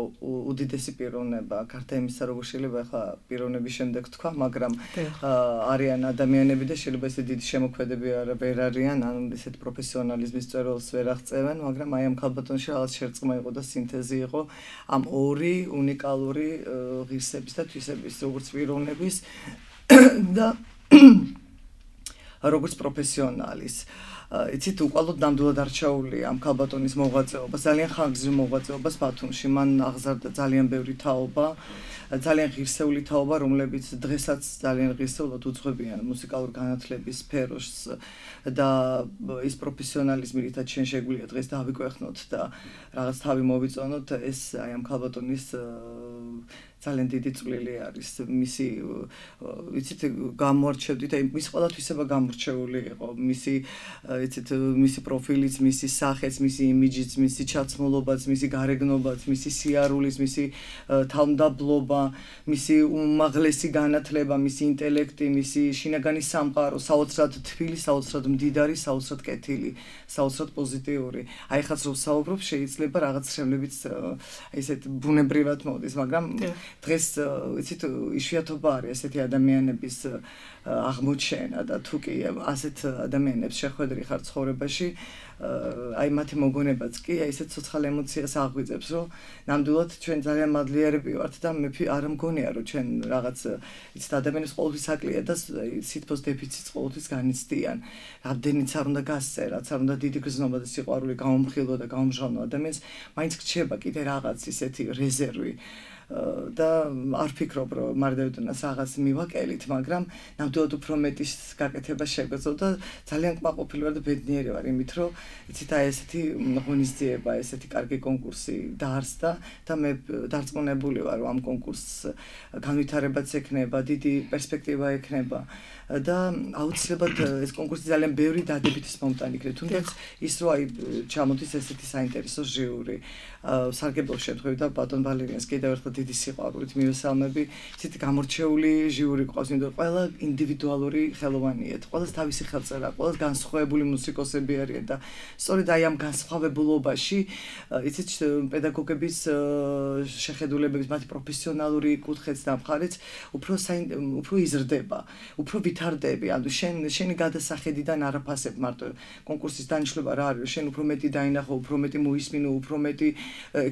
უდიდესი პიროვნება, გარდა იმისა, როგორ შეიძლება ახლა პიროვნების შემდეგ თქვა, მაგრამ არიან ადამიანები და შეიძლება ესე დიდი შემოქმედები ვერ არიან, ან ესეთ პროფესიონალიზმის წერილს ვერ აღწევენ, მაგრამ აი ამ ქალბატონში რაღაც შერწყმა იყო და სინთეზი იყო ამ ორი უნიკალური ღირსების და თვისების, როგორც პიროვნების და როგორც პროფესიონალის. იცით, უყალოდ ნამდვილად არჩეული ამ ქალბატონის მოღვაწეობა, ძალიან ხანგრძლივ მოღვაწეობას ბათუმში. მან აღზარდა ძალიან ბევრი თაობა, ძალიან ღირსეული თაობა, რომლებიც დღესაც ძალიან ღირსეულად უძღვებიან მუსიკალურ განათლების სფეროს და ის პროფესიონალიზმი, რითაც შენ შეგვიძლია დღეს დავიკვეხნოთ და რაღაც თავი მოვიწონოთ, ეს აი ამ ქალბატონის ძალიან დიდი წვლილი არის. მისი იცით გამორჩევდით, აი მის ყველა თვისება გამორჩეული იყო. მისი პროფილიც, მისი სახეც, მისი იმიჯიც, მისი ჩაცმულობაც, მისი გარეგნობაც, მისი სიარულიც, მისი თავმდაბლობა, მისი უმაღლესი განათლება, მისი ინტელექტი, მისი შინაგანი სამყარო, საოცრად თბილი, საოცრად მდიდარი, საოცრად კეთილი, საოცრად პოზიტიური. აი ხაც რომ საუბრობ, შეიძლება რაღაც შემლებიც ესეთ ბუნებრივად მოდის, მაგრამ დღეს იცით იშვიათობა არის ესეთი ადამიანების აღმოჩენა და თუ კი ასეთ ადამიანებს შეხვედრი ხარ ცხოვრებაში, აი მათი მოგონებაც კი აი ესეთ ცოცხალ ემოციას აღვიძებს, რომ ნამდვილად ჩვენ ძალიან მადლიერები ვართ და მე არ მგონია რომ ჩვენ რაღაც იცით ადამიანის ყოველთვის აკლია და სითბოს დეფიციტს ყოველთვის განიცდიან. რამდენიც არ უნდა გასცე, რაც არ უნდა დიდი გრძნობა და სიყვარული გამომხილო და გამომჟღავნო ადამიანს, მაინც გრჩება კიდე რაღაც ისეთი რეზერვი. და არ ფიქრობ რომ მარდევდანას რაღაც მივაკელით, მაგრამ ნამდვილად უფრო მეტის გაკეთება შეგვეძლო და ძალიან კმაყოფილი ვარ და ბედნიერი ვარ იმით, რომ იცით აი ესეთი ღონისძიება, ესეთი კარგი კონკურსი დაარსდა და მე დარწმუნებული ვარ რომ ამ კონკურსს განვითარებაც ექნება, დიდი პერსპექტივა ექნება და აუცილებლად ეს კონკურსი ძალიან ბევრი დადებითის მომტანი იქნება, თუნდაც ის რომ აი ჩამოდის ესეთი საინტერესო ჟიური. სარგებლო შემთხვევით და ბატონ ვალერიანს კიდევ ერთხელ დიდი სიყვარულით მივესალმები. ისეთი გამორჩეული ჟიური ყავს, იმიტომ რომ ყველა ინდივიდუალური ხელოვანია, ყველას თავისი ხელწერა, ყველას განსხვავებული მუსიკოსები არიან და სწორედ აი ამ განსხვავებულობაში, იცით პედაგოგების შეხედულებების, მათი პროფესიონალური კუთხეც და მხარეც უფრო იზრდება, უფრო ვითარდები. ანუ შენი გადასახედიდან არაფასებ მარტო კონკურსის დანიშნულება რა არის, შენ უფრო მეტი დაინახო, უფრო მეტი მოისმინო, უფრო მეტი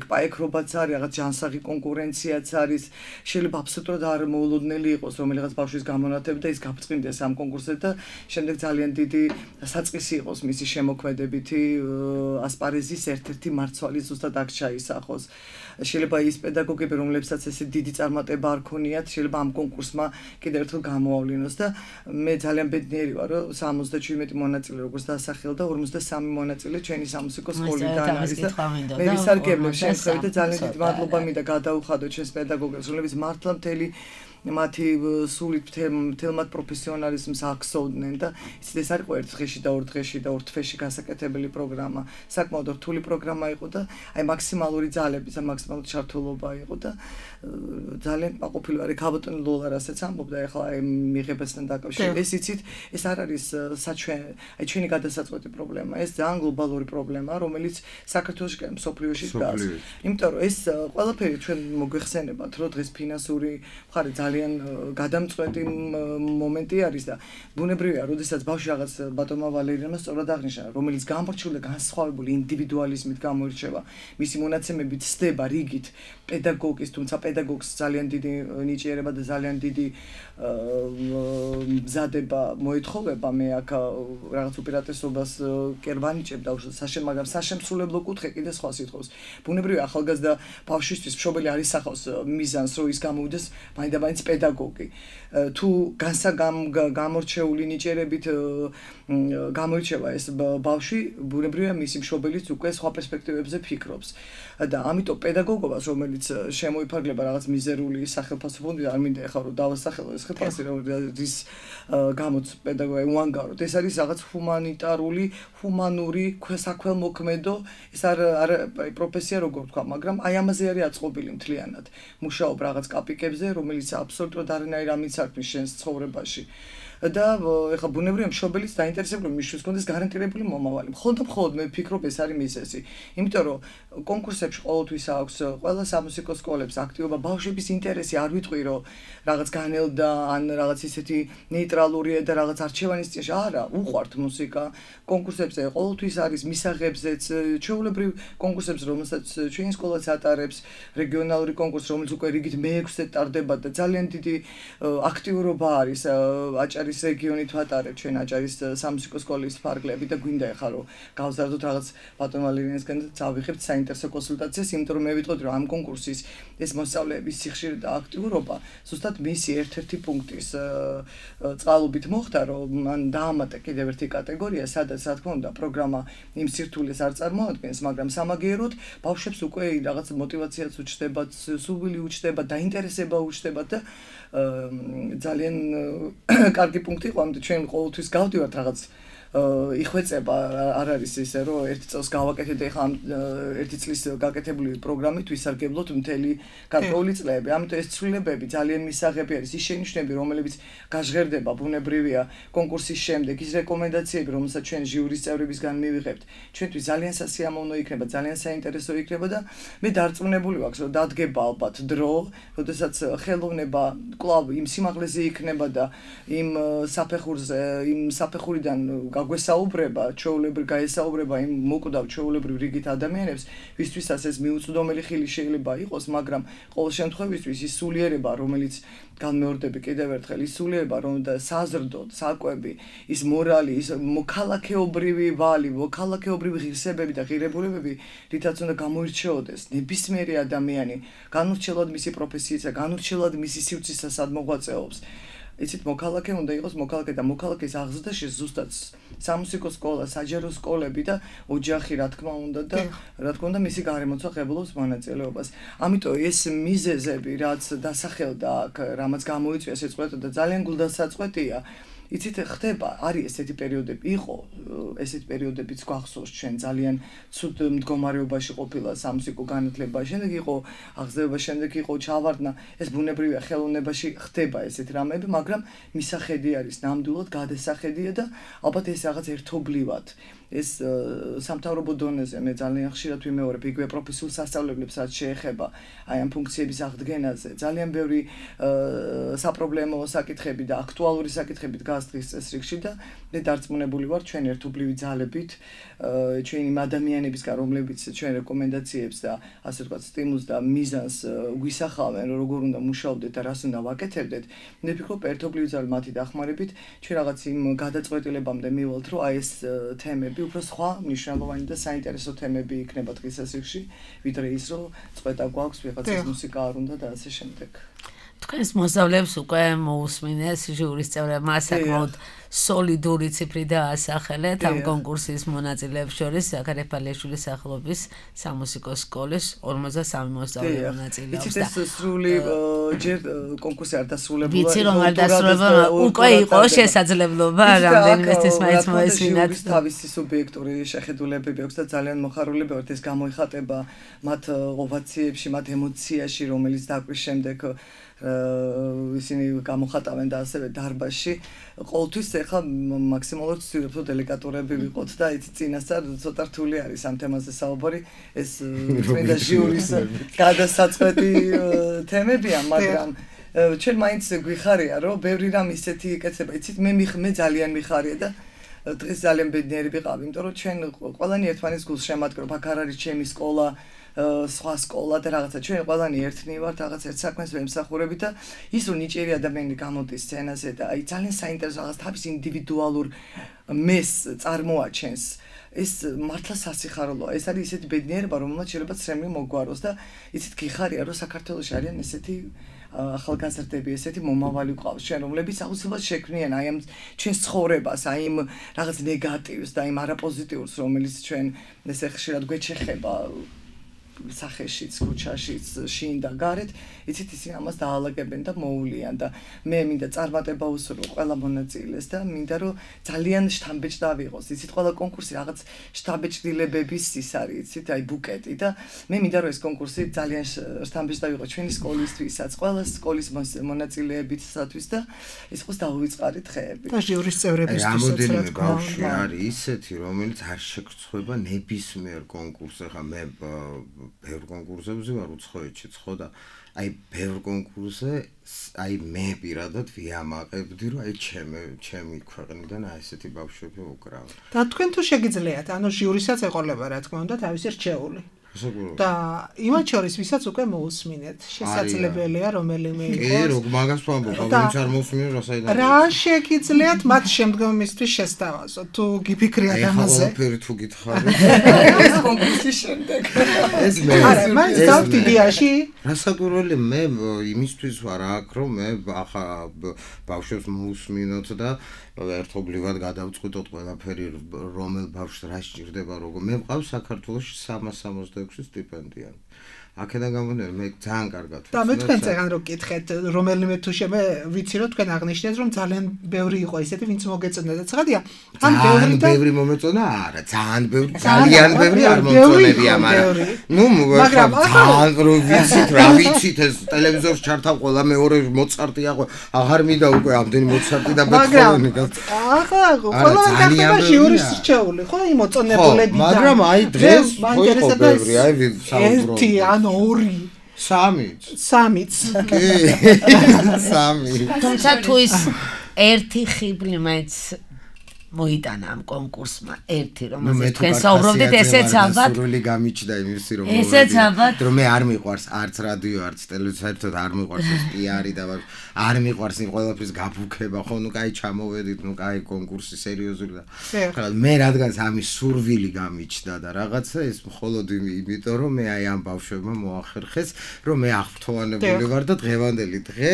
ეკპაექრობაც არის, რაღაც ჯანსაღი კონკურენციაც არის. შეიძლება აბსოლუტურად არ მოულოდნელი იყოს, რომ რაღაც ბავშვის გამონათება და ის გაფრთხილდეს ამ კონკურსზე და შემდეგ ძალიან დიდი საწყისი იყოს მისი შემოქმედებითი ასპარეზის ერთ-ერთი მარცვალი ზუსტად აქ ჩაისახოს. შეიძლება ის პედაგოგები, რომლებსაც ესე დიდი წარმატება არ ქონიათ, შეიძლება ამ კონკურსმა კიდევ ერთხელ გამოავლინოს და მე ძალიან ბედნიერი ვარ, რომ 77 მონაწილე როგორც დასახელდა, 53 მონაწილე ჩვენი სამუსიკო სკოლიდან არის და მე ვისარგებლებ შემთხვევით და ძალიან დიდი მადლობა მინდა გადაუხადო ჩვენს პედაგოგებს, რომლებიც მართლა მთელი მათი სულით მთელმად პროფესიონალიზმს აქსოვდნენ და იცით ეს არ იყო ერთ დღეში და ორ დღეში და ორ თვეში გასაკეთებელი პროგრამა. საკმაოდ რთული პროგრამა იყო და აი მაქსიმალური ძალების და მაქსიმალური ჩართულობა იყო და ძალიან კმაყოფილი ვარ. ქაბატონ ლოლა რასაც ამბობდა ახლა აი მიღებასთან დაკავშირებით. ეს იცით, ეს არ არის აი ჩვენი გადასაწყვეტი პრობლემა, ეს ძალიან გლობალური პრობლემაა, რომელიც საქართველოში და მსოფლიოში დგას. იმიტომ რომ ეს ყველაფერი ჩვენ მოგვეხსენებათ, რომ დღეს ფინანსური მხარე ძალიან გადამწყვეტი მომენტი არის და ბუნებრივია, როდესაც ბავშვი რაღაც ბატონმა ვალერიანმა სწორად აღნიშნა, რომელიც გამორჩეული და განსხვავებული ინდივიდუალიზმით გამოირჩევა, მისი მონაცემებით სდება რიგით პედაგოგის, თუმცა პედაგოგს ძალიან დიდი ნიჭიერება და ძალიან დიდი მზადება მოეთხოვება. მე აქ რაღაც უპირატესობას კი ვანიჭებ და მაგრამ საშემსრულებლო კუთხე კიდე სხვა სიტყვას. ბუნებრივია, ახალგაზრდა ბავშვისთვის მშობელი არ ისახავს მიზანს, რომ ის გამოვიდეს მაინდამაინც პედაგოგი. თუ გამორჩეული ნიჭიერებით გამოირჩევა ეს ბავშვი, ბუნებრივია მისი მშობელიც უკვე სხვა პერსპექტივებზე ფიქრობს. და ამიტომ პედაგოგობას, რომელიც შემოიფარგლება რაღაც მიზერული სახელმწიფო ფონდიდან, არ მინდა ახლა რომ დავასახელო ეს ხელფასი, რის გამოც პედაგოგი უანგაროდ. ეს არის რაღაც ჰუმანური, საქველმოქმედო, ეს არ პროფესია როგორ ვთქვა, მაგრამ აი ამაზე არის აწყობილი მთლიანად. მუშაობ რაღაც კაპიკებზე, რომელიც აბსოლუტურად არანაირ ამის არქმის შენს ცხოვრებაში. და ეხლა ბუნებრივია მშობელის დაინტერესებული მისთვის კონდეს გარანტირებული მომავალი. მხოლოდ მე ვფიქრობ ეს არის მიზეზი. იმიტომ რომ კონკურსებში ყოველთვის აქვს ყველა სამუსიკო სკოლებს აქტივობა, ბავშვების ინტერესი არ ვიტყვი რომ რაღაც განელდა ან რაღაც ისეთი ნეიტრალურია და რაღაც არჩევანის წინაშე. არა, უყვართ მუსიკა. კონკურსებზე ყოველთვის არის მისაღებზეც, ჩვეულებრივ კონკურსებზე, რომელსაც ჩვენი სკოლაც ატარებს, რეგიონალური კონკურსი, რომელიც უკვე რიგით მე-6-ზე ტარდება და ძალიან დიდი აქტიურობა არის აჭარის რეგიონით ვატარებ ჩვენ აჭარის სამუსიკო სკოლის ფარგლები და გვინდა ახლა რომ გავზარდოთ რაღაც ბატონ ვალერიანსგან და წავიღებთ საინტერესო კონსულტაციას, იმიტომ რომ მე ვიტყოდი რომ ამ კონკურსის ეს მოსწავლეების სიხშირე და აქტიურობა ზუსტად მისი ერთ-ერთი პუნქტის წყალობით მოხდა, რომ მან დაამატა კიდევ ერთი კატეგორია, სადაც რა თქმა უნდა პროგრამა იმ სირთულეს არ წარმოადგენს, მაგრამ სამაგიეროდ ბავშვებს უკვე რაღაც мотиваციაც უჩნდებათ, სურვილი უჩნდებათ, დაინტერესება უჩნდებათ და ძალიან კარგი პუნქტი იყო, ამიტომ ჩვენ ყოველთვის გავდივართ რაღაც იხვეწება არ არის ისე რომ ერთი წელს გავაკეთეთ და ეხლა ერთი წლის გაკეთებული პროგრამით ვისარგებლოთ მთელი გარკვეული წლები. ამიტომ ეს ცვლილებები ძალიან მისაღები არის. ის შენიშვნები, რომლებიც გაჟღერდება ბუნებრივია კონკურსის შემდეგ, ის რეკომენდაციები, რომელსაც ჩვენ ჟიურის წევრებისგან მივიღებთ, ჩვენთვის ძალიან სასიამოვნო იქნება, ძალიან საინტერესო იქნება და მე დარწმუნებული ვაქვს, რომ დადგება ალბათ დრო, როდესაც ხელოვნება კვლავ იმ სიმაღლეზე იქნება და იმ საფეხურიდან გაგვესაუბრება, ჩვეულებრივ გაესაუბრება იმ მოკვდავ ჩვეულებრივ რიგით ადამიანებს, ვისთვისაც ეს მიუწვდომელი ხილი შეიძლება იყოს, მაგრამ ყოველ შემთხვევისთვის ის სულიერება, რომელიც განმეორდები კიდევ ერთხელ, ის სულიერება, რომ და საზრდო, საკვები, ის მორალი, ის მოქალაქეობრივი ვალი, მოქალაქეობრივი ღირსებები და ღირებულებები, რითაც უნდა გამოირჩეოდეს ნებისმიერი ადამიანი, განურჩევლად მისი პროფესიისა, განურჩევლად მისი სივრცისა სად მოღვაწეობს. იცით მოქალაქე უნდა იყოს მოქალაქე და მოქალაქის აღზრდაში ზუსტად სამუსიკო სკოლა, საჯარო სკოლები და ოჯახი რა თქმა უნდა და რა თქმა უნდა მისი გარემოცვა ღებულობს მონაწილეობას. ამიტომ ეს მიზეზები რაც დასახელდა აქ, რამაც გამოიწვია სიწყოთა და ძალიან გულდასაწყვეტია. იცით ხდება, არის ესეთი პერიოდები, იყო ესეთი პერიოდებიც გვახსოვს ჩვენ ძალიან ცუდ მდგომარეობაში ყოფილა სამუსიკო განათლება, შემდეგ იყო აღზევება, შემდეგ იყო ჩავარდნა, ეს ბუნებრივია ხელოვნებაში ხდება ესეთი რამეები, მაგრამ მისახედი არის ნამდვილად გადასახედია და ალბათ ეს რაღაც ერთობლივად ეს სამთავრობო დონეზე მე ძალიან ხშირად ვიმეორებ იგივე პროფესიულ სასწავლებლებს რაც შეეხება აი ამ ფუნქციების აღდგენაზე ძალიან ბევრი საპრობლემო საკითხები და აქტუალური საკითხები დგას დღის წესრიგში და მე დარწმუნებული ვარ ჩვენ ერთობლივი ძალებით ჩვენი იმ ადამიანებისგან რომლებიც ჩვენ რეკომენდაციებს და ასე ვთქვათ სტიმულს და მიზანს გვისახავენ როგორ უნდა მუშაობდეთ და რას უნდა ვაკეთებდეთ მე ვფიქრობ ერთობლივი ძალა მათი დახმარებით ჩვენ რაღაც იმ გადაწყვეტილებამდე მივალთ რომ აი ეს თემები უფრო სხვა მნიშვნელოვანი და საინტერესო თემები იქნება დღის წესრიგში ვიდრე ის რომ წვეთა გვაქვს ვიღაცის მუსიკა არ უნდა და ასე შემდეგ თქვენს მოსწავლეებს უკვე მოусმინეს ჟურის წევრებმა საკმაოდ სოლიდური ციფრი დაასახელეთ ამ კონკურსის მონაწილეებს შორის ზაქარ ეფალიშვილის სახელობის სამუსიკო სკოლის 53 მოსწავლე მონაწილეობს და ეს სრული ჯერ კონკურსი არ დასრულებულა ვიცი რომ არ დასრულებულა უკვე იყო შესაძლებლობა რამდენიმე ეს მაინც მოესმინათ თავისი სუბიექტური შეხედულებები აქვს და ძალიან მოხარულები ვართ ეს გამოიხატება მათ ოვაციებში მათ ემოციაში რომელიც დაკვრის შემდეგ ისინი გამოხატავენ და ასევე დარბაზში ყოველთვის ეხლა მაქსიმალურად ვცდილობ რომ დელიკატურები ვიყოთ და იცი წინასწარ ცოტა რთული არის ამ თემაზე საუბარი ეს წმინდა ჟიურის გადასაწყვეტი თემებია მაგრამ ჩვენ მაინც გვიხარია რომ ბევრი რამ ისეთი იკეთება იცით მე ძალიან მიხარია და დღეს ძალიან ბედნიერი ვიყავი იმიტომ რომ ჩვენ ყველანი ერთმანეთს გულს შემატკრობ აქ არ არის ჩემი სკოლა სხვა სკოლა და რაღაცა ჩვენ ყველანი ერთნი ვართ რაღაც ერთ საქმეს ვემსახურებით და ის რომ ნიჭიერი ადამიანი გამოდის სცენაზე და აი ძალიან საინტერესო რაღაც თავის ინდივიდუალურ მეს წარმოაჩენს ეს მართლა სასიხარულოა ეს არის ისეთი ბედნიერება რომელმაც შეიძლება ცრემლი მოგვაროს და იცით გიხარია რომ საქართველოში არიან ესეთი ახალგაზრდები ესეთი მომავალი ყავს ჩვენ რომლებიც აუცილებლად შექმნიან აი ამ ჩვენს ცხოვრებას აი იმ რაღაც ნეგატივს და იმ არაპოზიტიურს რომელიც ჩვენ ესე ხშირად გვეჩეხება სახეშიც, ქუჩაშიც, შინ და გარეთ, იცით ისინი ამას დაალაგებენ და მოულიან და მე მინდა წარმატება უსურვო ყველა მონაწილეს და მინდა რომ ძალიან შთამბეჭდა ვიყოს. იცით ყველა კონკურსი რაღაც შთამბეჭდილებების ის არის, იცით, აი ბუკეტი და მე მინდა რომ ეს კონკურსი ძალიან შთამბეჭდა ვიყოს ჩვენი სკოლისთვისაც, ყველა სკოლის მონაწილეებისათვის და ის ყოს დაუვიწყარი დღეები. და ჟიურის წევრებისთვისაც რამოდენიმე ბავშვი არის ისეთი, რომელიც არ შეგრცხვება ნებისმიერ კონკურსზე, ხა მე ბევრ კონკურსებზე ვარ უცხოეთში ხო და აი ბევრ კონკურსზე აი მე პირადად ვიამაყებდი რომ აი ჩემი ქვეყნიდან აი ესეთი ბავშვები უკრავენ. და თქვენ თუ შეგიძლიათ, ანუ ჟიურისაც ეყოლება რა თქმა უნდა თავისი რჩეული. და იმათ შორის ვისაც უკვე მოусმინეთ, შესაძლებელია რომელიმე იყოს. კი, როგორ მაგას ვამბობ, ვინც არ მოусმინე რა საიდან. რა შეგიძლიათ მათ შემდგომისთვის შესთავაზოთ, თუ გიფიქრიათ ამაზე. აი, ყველაფერი თუ გითხარით. ეს კონკურსის შემდეგ. ეს მე. არა, მაინც დავთ იდეაში. რასაკვირველი მე იმისთვის ვარ აქ, რომ მე ახლა ბავშვებს მოусმინოთ და ერთობლივად გადავწყვიტოთ ყველაფერი რომელ ბავშვს რა სჭირდება როგორ მე მყავს საქართველოში 366 სტიპენდია აქედან გამომდინარე მე ძალიან კარგად და მე თქვენ წეგან რო გკითხეთ რომელიმე თუ მე ვიცი რომ თქვენ აღნიშნეთ რომ ძალიან ბევრი იყო ისეთი ვინც მოგეწონა და ცხადია ან ბევრი მომეწონა არა ძალიან ბევრი არ მომწონებია მაგრამ ძალიან რო ვიცით რა ვიცით ეს ტელევიზორში ჩართავ ყველა მეორე მოცარტია აღარ მინდა უკვე ამდენი მოცარტი და ბეთჰოვენი ახლა ყველა გახდება ჟიურის რჩეული ხო იმ მოწონებულებიდან მაგრამ აი დღეს ხო იყო ბევრი აი საუბრო ორი სამიც კი სამი თუმცა თუ ის ერთი ხიბლი მაინც მოიტანა ამ კონკურსმა ერთი რომელზეც თქვენ საუბრობდით ესეც ალბათ სრული გამიჩნდა იმისი რომ ესეც ალბათ რომ მე არ მიყვარს არც რადიო არც ტელევიზია საერთოდ არ მიყვარს ეს პიარი და არ მიყვარს იმ ყველაფრის გაფუქება ხო ნუ კაი ჩამოვედით ნუ კაი კონკურსი სერიოზული და ხა მე რადგანაც ამის სურვილი გამიჩნდა და რაღაცა ეს მხოლოდ იმიტომ რომ მე აი ამ ბავშვებმა მოახერხეს რომ მე აღფრთოვანებული ვარ და დღევანდელი დღე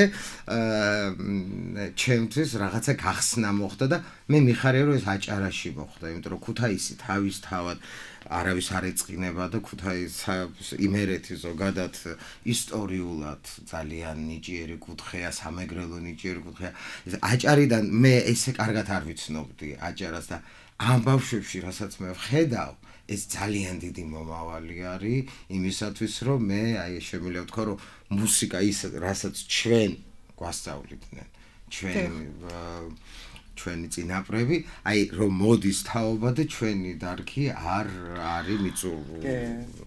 ჩემთვის რაღაცა გახსნა მოხდა და მე მიხარია რომ ეს აჭარაში მოხდა იმიტომ რომ ქუთაისი თავისთავად არავის არ ეწყინება და ქუთაისი იმერეთი ზოგადად ისტორიულად ძალიან ნიჭიერი კუთხეა სამეგრელო ნიჭიერი კუთხეა აჭარიდან მე ესე კარგად არ ვიცნობდი აჭარას და ამ ბავშვებში რასაც მე ვხედავ ეს ძალიან დიდი მომავალი არის იმისათვის რომ მე აი შემიძლია ვთქვა რომ მუსიკა ის რასაც ჩვენ გვასწავლიდნენ ჩვენი წინაპრები, აი რომ მოდის თაობა და ჩვენი დარგი არ არის მიწური.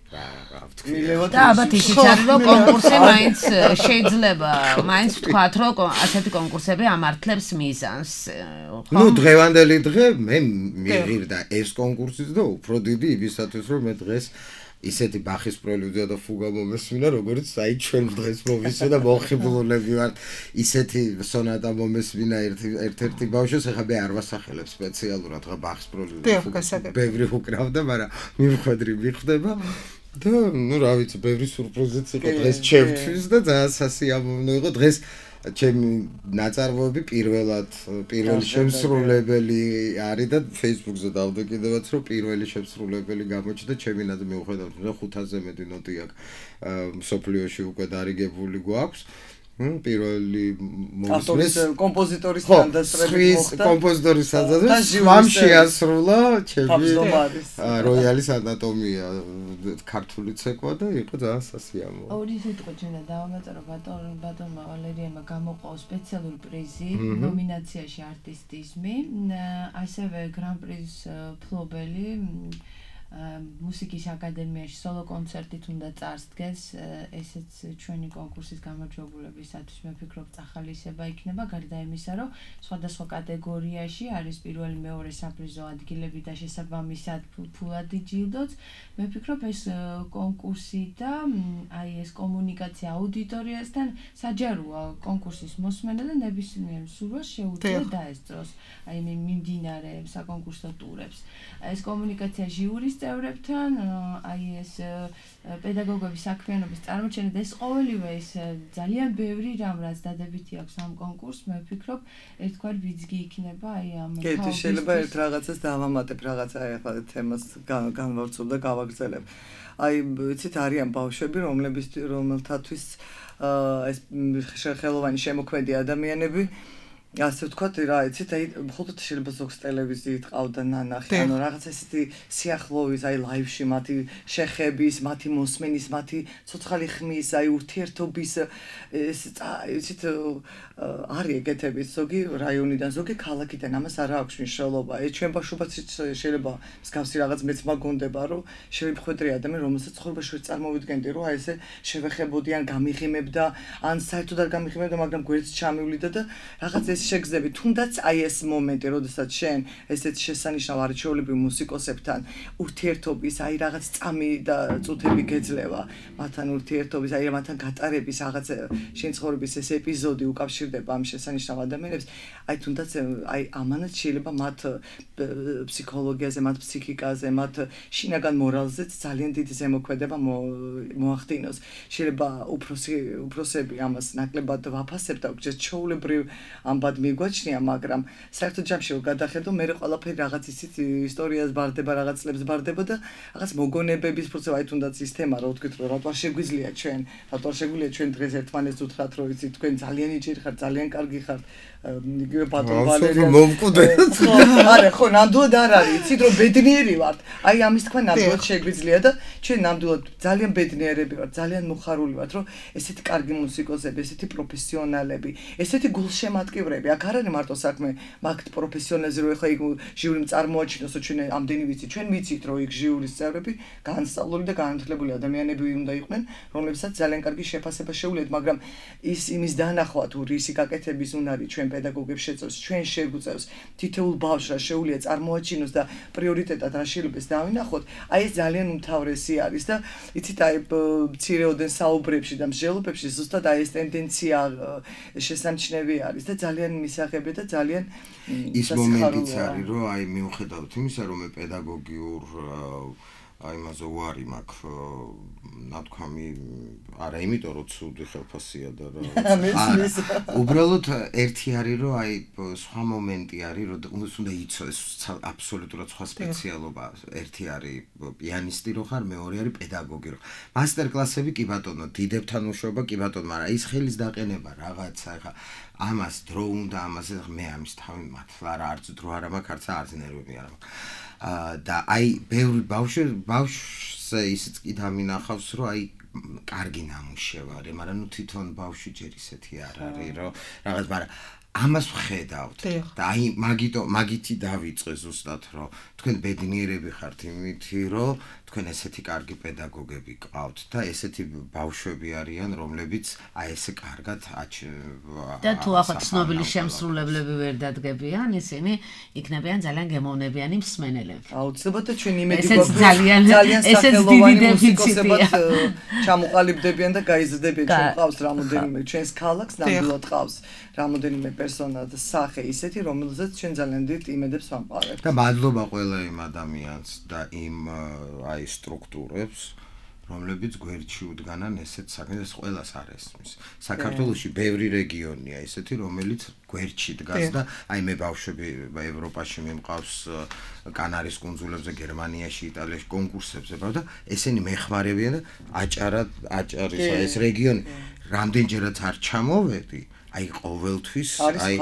და ალბათ ისიც არის რომ კონკურსი მაინც შეიძლება, მაინც ვთქვათ რომ ასეთი კონკურსები ამართლებს მიზანს. ნუ დღევანდელი დღე მე მიღირდა ეს კონკურსიც და უფრო დიდი იმისათვის რომ მე დღეს ისეთი ბახის პრელუდია და ფუგა მომესმინა, როგორც აი ჩვენ დღეს მომისვა და მოხიბლულები ვართ. ისეთი სონატა მომესმინა ერთ-ერთი ბავშვს, ახლა მე არ ვასახელებ სპეციალურად, ხა ბახის პრელუდია. ბევრი უკრავდა, მაგრამ მივხვედრი მიხვდება. და ნუ რა ვიცი, ბევრი სურპრიზიც იყო დღეს ჩემთვის და ძალიან სასიამოვნო იყო დღეს ჩემი ნაწარმოები პირველი შემსრულებელი არის და Facebook-ზე დავდო კიდევაც რომ პირველი შემსრულებელი გამოჩნდა ჩემი ნაზრით მიუხედავად რომ 500-ზე მეტი ნოტი აქვს მსოფლიოში უკვე დარიგებული გვაქვს პირველი ავტორის კომპოზიტორის თანდასწრებით მოხდა კომპოზიტორის თანდასწრებით მამ შეასრულა ჩემი როიალის ანატომია ქართული ცეკვა და იყო ძალიან სასიამოვნო. ორი სიტყვა ჩვენა დავამატო ბატონმა ვალერიანმა გამოყო სპეციალური პრიზი ნომინაციაში არტისტიზმი, ასევე გრან-პრის ფლობელი მუსიკის აკადემიაში სოლო კონცერტით უნდა წარსდგეს, ესეც ჩვენი კონკურსის გამარჯვებულებისათვის მე ვფიქრობ წახალისება იქნება, გარდა იმისა, რომ სხვადასხვა კატეგორიაში არის პირველი, მეორე საპრიზო ადგილები და შესაბამისად ფულადი ჯილდოც. მე ვფიქრობ ეს კონკურსი და აი ეს კომუნიკაცია აუდიტორიასთან საჯაროა კონკურსის მოსმენა და ნებისმიერ სურვილს შეუძლია დაესწროს აი მიმდინარე საკონკურსო ტურებს. ეს კომუნიკაცია ჟიურის წევრებთან, აი ეს პედაგოგების საქმიანობის წარმოჩენა და ეს ყოველივე ეს ძალიან ბევრი რამ რაც დადებითი აქვს ამ კონკურსს, მე ვფიქრობ ერთგვარი ბიძგი იქნება აი ამ კეთი შეიძლება ერთ რაღაცას დავამატებ, რაღაცა აი ახლა თემას განვავრცობ და გავაგრძელებ. აი იცით არიან ბავშვები, რომელთათვის ეს ხელოვანი შემოქმედი ადამიანები ასე ვთქვათ, რა იცით, აი მხოლოდ შეიძლება ზოგს ტელევიზიით ყავდა ნანახი, ანუ რაღაც ესეთი სიახლოვის, აი ლაივში მათი შეხების, მათი მოსმენის, მათი ცოცხალი ხმის, აი ურთიერთობის ეს იცით არის ეგეთები ზოგი რაიონიდან, ზოგი ქალაქიდან, ამას არ აქვს მნიშვნელობა. ეს ჩვენ ბავშვობაც შეიძლება მსგავსი რაღაც მეც მაგონდება, რომ შევიმხვედრი ადამიანი, რომელსაც ცხოვრებაში ვერ წარმოვიდგენდი, რომ აი ესე შევეხებოდიან, გამიღიმებდა, ან საერთოდ არ გამიღიმებდა, მაგრამ გვერდს ჩამივლიდა და რაღაც შეგზები, თუნდაც აი ეს მომენტი, როდესაც შენ ესეთ შესანიშნავ არჩეულებრივ მუსიკოსებთან ურთიერთობის, აი რაღაც წამი და წუთები გეძლევა, მათთან ურთიერთობის, აი მათთან გატარების რაღაც შენ ცხოვრების ეს ეპიზოდი უკავშირდება ამ შესანიშნავ ადამიანებს, აი თუნდაც აი ამანაც შეიძლება მათ ფსიქოლოგიაზე, მათ ფსიქიკაზე, მათ შინაგან მორალზეც ძალიან დიდი ზემოქმედება მოახდინოს. შეიძლება უფროსები ამას ნაკლებად ვაფასებთ, ჩვეულებრივ ამბად მიგვაჩნია, მაგრამ საერთოდ ჯამში რომ გადახედო, მე ყველაფერი რაღაც ისიც ისტორიას ბარდება, რაღაც წლებს ბარდება და რაღაც მოგონებების პროცესი, აი თუნდაც ის თემა, რა ვთქვით, რომ რატო არ შეგვიძლია ჩვენ დღეს ერთმანეთს უთხრათ, რომ იცით, თქვენ ძალიან იჭირი ხართ, ძალიან კარგი ხართ, იგივე ბატონ ვალერიან მომკვდეთ. არა, ხო, ნამდვილად არ არის, იცით, რომ ბედნიერი ვართ. აი ამის თქვა ნამდვილად შეგვიძლია და ჩვენ ნამდვილად ძალიან ბედნიერები ვართ, ძალიან მოხარული ვართ, რომ ესეთი კარგი მუსიკოსები, ესეთი პროფესიონალები, ესეთი გულშემატკივრები მდგომარეები. აქ არ არის მარტო საქმე მაგ პროფესიონალზე რომ ეხლა იქ ჟიურიმ წარმოაჩინოს რომ ჩვენ ამდენი ვიცით, ჩვენ ვიცით რომ იქ ჟიურის წევრები განსწავლული და განათლებული ადამიანები უნდა იყვნენ, რომლებსაც ძალიან კარგი შეფასება შეუძლიათ, მაგრამ ის იმის დანახვა თუ რისი გაკეთების უნარი ჩვენ პედაგოგებს შეწევს, ჩვენ შეგვწევს თითოეულ ბავშვს რა შეუძლია წარმოაჩინოს და პრიორიტეტად რა შეიძლება დავინახოთ, აი ეს ძალიან უმთავრესი არის და იცით აი მცირეოდენ საუბრებში და მსჯელობებში ზუსტად აი ეს ტენდენცია შესამჩნევი არის და ძალიან მისაღები და ძალიან ის მომენტიც არის რომ აი მიუხედავთ იმისა რომ მე პედაგოგიურ აი მასო ვარი მაქვს ნათქვამი არა იმიტომ რომ ცუდი ხელფასია და რა უბრალოდ ერთი არის რომ აი სხვა მომენტი არის რომ უნდა იცოდეს აბსოლუტურად სხვა სპეციალობა ერთი არის პიანისტი რო ხარ მეორე არის პედაგოგი რო მასტერ კლასები კი ბატონო დიდებთან უშუალობა კი ბატონო მაგრამ ის ხელის დაყენება რაღაცა ხა ამას დრო უნდა ამას მე ამის თავი მართლა რა არც დრო არა მაქვს არც არც ნერვები არა მაქვს და აი ბევრი ბავშვზე ისიც კი დამინახავს რომ აი კარგი ნამუშევარი მაგრამ ნუ თვითონ ბავშვი ჯერ ისეთი არ არის რომ რაღაც მაგრამ ამას ვხედავთ და აი მაგითი დავიწყე ზუსტად რომ თქვენ ბედნიერები ხართ იმითი რომ თქვენ ესეთი კარგი პედაგოგები გყავთ და ესეთი ბავშვები არიან რომლებიც აი ესე კარგად და თუ ახლა ცნობილი შემსრულებლები ვერ დადგებიან ისინი იქნებიან ძალიან გემოვნებიანი მსმენელები აუცილებლად და ჩვენ იმედი გვაქვს ძალიან სახელოვანი მუსიკოსებად ჩამოყალიბდებიან და გაიზრდებიან ჩვენ ყავს რამოდენიმე ჩვენს ქალაქს ნამდვილად ყავს რამოდენიმე პერსონა და სახე ისეთი რომელზეც ჩვენ ძალიან დიდ იმედებს ვამყარებთ და მადლობა ყველა იმ ადამიანს და იმ აი სტრუქტურებს რომლებიც გვერდში უდგანან ესეთ საქმეს ყველას არ ესმის საქართველოში ბევრი რეგიონია ესეთი რომელიც გვერდში დგას და აი მე ბავშვები ევროპაში მიმყავს კანარის კუნძულებზე გერმანიაში იტალიაში კონკურსებზე და ესენი მეხმარებიან და აჭარის ეს რეგიონი რამდენჯერაც არ ჩამოვედი აი ყოველთვის აი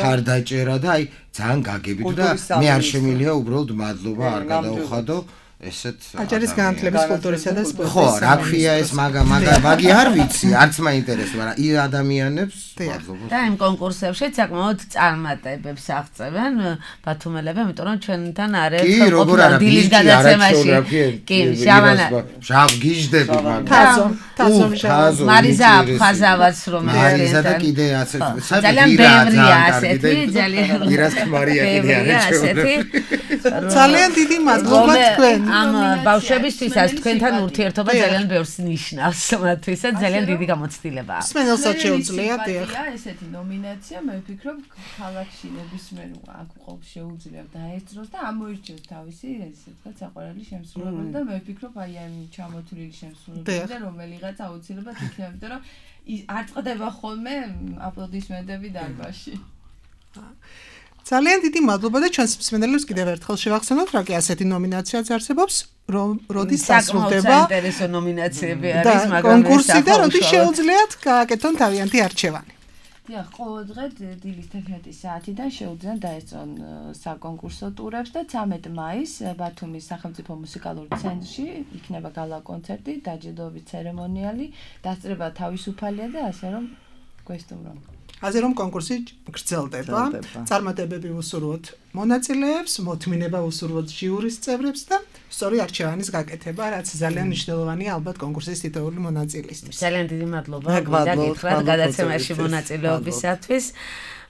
ხარდაჭერა და აი ძალიან გაგებით და მე არ შემიძლია უბრალოდ მადლობა არ გადაუხადო ესეთ აჭარის განათლების კულტურისა და სპორტის ხო რა ქვია ეს მაგი არ ვიცი არც მაინტერესებს მაგრამ ი ადამიანებს მადლობა და იმ კონკურსებში საკმაოდ წარმატებებს აღწევენ ბათუმელები იმიტომ რომ ჩვენთან არის ყოფილი დილის გადაცემაში კი შავანა გიჟდები თაზო მარიზა აფხაზავაც რომ მარიზა და კიდე ასე ძალიან ბევრია ასეთი ძალიან ირას მარია კიდე არის ძალიან დიდი მადლობა თქვენ ამ ბავშვებისთვისაც თქვენთან ურთიერთობა ძალიან ბევრს ნიშნავს მათთვისაც ძალიან დიდი გამოცდილებაა. მსმენელსაც შეუძლია ესეთი ნომინაცია მე ვფიქრობ ქალაქში ნებისმიერ აქ ყავს შეუძლია დაესწროს და ამოირჩიოს თავისი ესე ვთქვათ საყვარელი შემსრულებელი და მე ვფიქრობ აი ამ ჩამოთვლილი შემსრულებელი და რომელიღაც აუცილებლად იქნება იმიტომ რომ არ წდება ხოლმე აპლოდისმენტები დარბაზში. ძალიან დიდი მადლობა და ჩვენს მსმენელებს კიდევ ერთხელ შევახსენოთ, რა კი ასეთი ნომინაციაც არსებობს, როდის დასრულდება საინტერესო ნომინაციები არის, მაგრამ კონკურსი და როდის შეუძლიათ გააკეთონ თავიანთი არჩევანი. დიახ, ყოველ დღე დილის 11 საათიდან შეუძლიათ დაესწრონ საკონკურსო ტურებს და 13 მაისს ბათუმის სახელმწიფო მუსიკალური ცენტრში იქნება გალა კონცერტი, დაჯილდოების ცერემონიალი, დასწრება თავისუფალია და ასე რომ გვესტუმრონ. ასე რომ კონკურსი გრძელდება, წარმატებები უსურვოთ მონაწილეებს, მოთმინება უსურვოთ ჟიურის წევრებს და სწორი არჩევანის გაკეთება, რაც ძალიან მნიშვნელოვანია ალბათ კონკურსის თითოეული მონაწილისთვის. ძალიან დიდი მადლობა გითხრათ გადაცემაში მონაწილეობისათვის.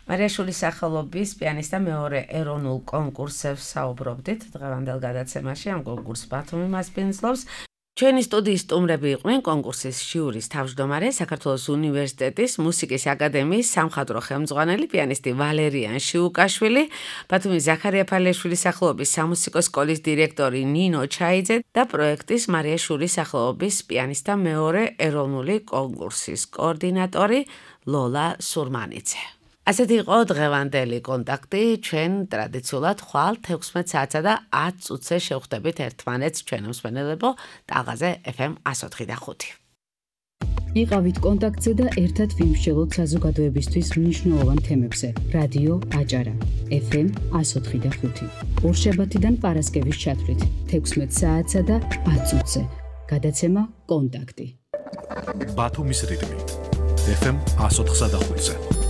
მარიაშვილის სახელობის პიანისტთა მეორე ეროვნულ კონკურსებს საუბრობდით დღევანდელ გადაცემაში ამ კონკურსს ბათუმი მასპინძლობს. ჩვენი სტუდიის სტუმრები იყვნენ კონკურსის ჟიურის თავმჯდომარე, საქართველოს უნივერსიტეტის მუსიკის აკადემიის სამხატვრო ხელმძღვანელი პიანისტი ვალერიან შიუკაშვილი, ბათუმის ზაქარია ფალეშვილის სახელობის სამუსიკო სკოლის დირექტორი ნინო ჩაიძე და პროექტის მარიაშვილის სახელობის პიანისტთა მეორე ეროვნული კონკურსის კოორდინატორი ლოლა სურმანიძე. ასეთი იყო დღევანდელი კონტაქტი, ჩვენ ტრადიციულად ხვალ 16 საათსა და 10 წუთზე შევხვდებით ერთმანეთს ჩვენ მსმენელებო ტალღაზე FM 104.5. იყავით კონტაქტზე და ერთად ვიმსჯელოთ საზოგადოებისთვის მნიშვნელოვან თემებზე. რადიო აჭარა FM 104.5. ორშაბათიდან პარასკევის ჩათვლით 16 საათსა და 10 წუთზე. გადაცემა კონტაქტი. ბათუმის რიტმი FM 104.5-ზე.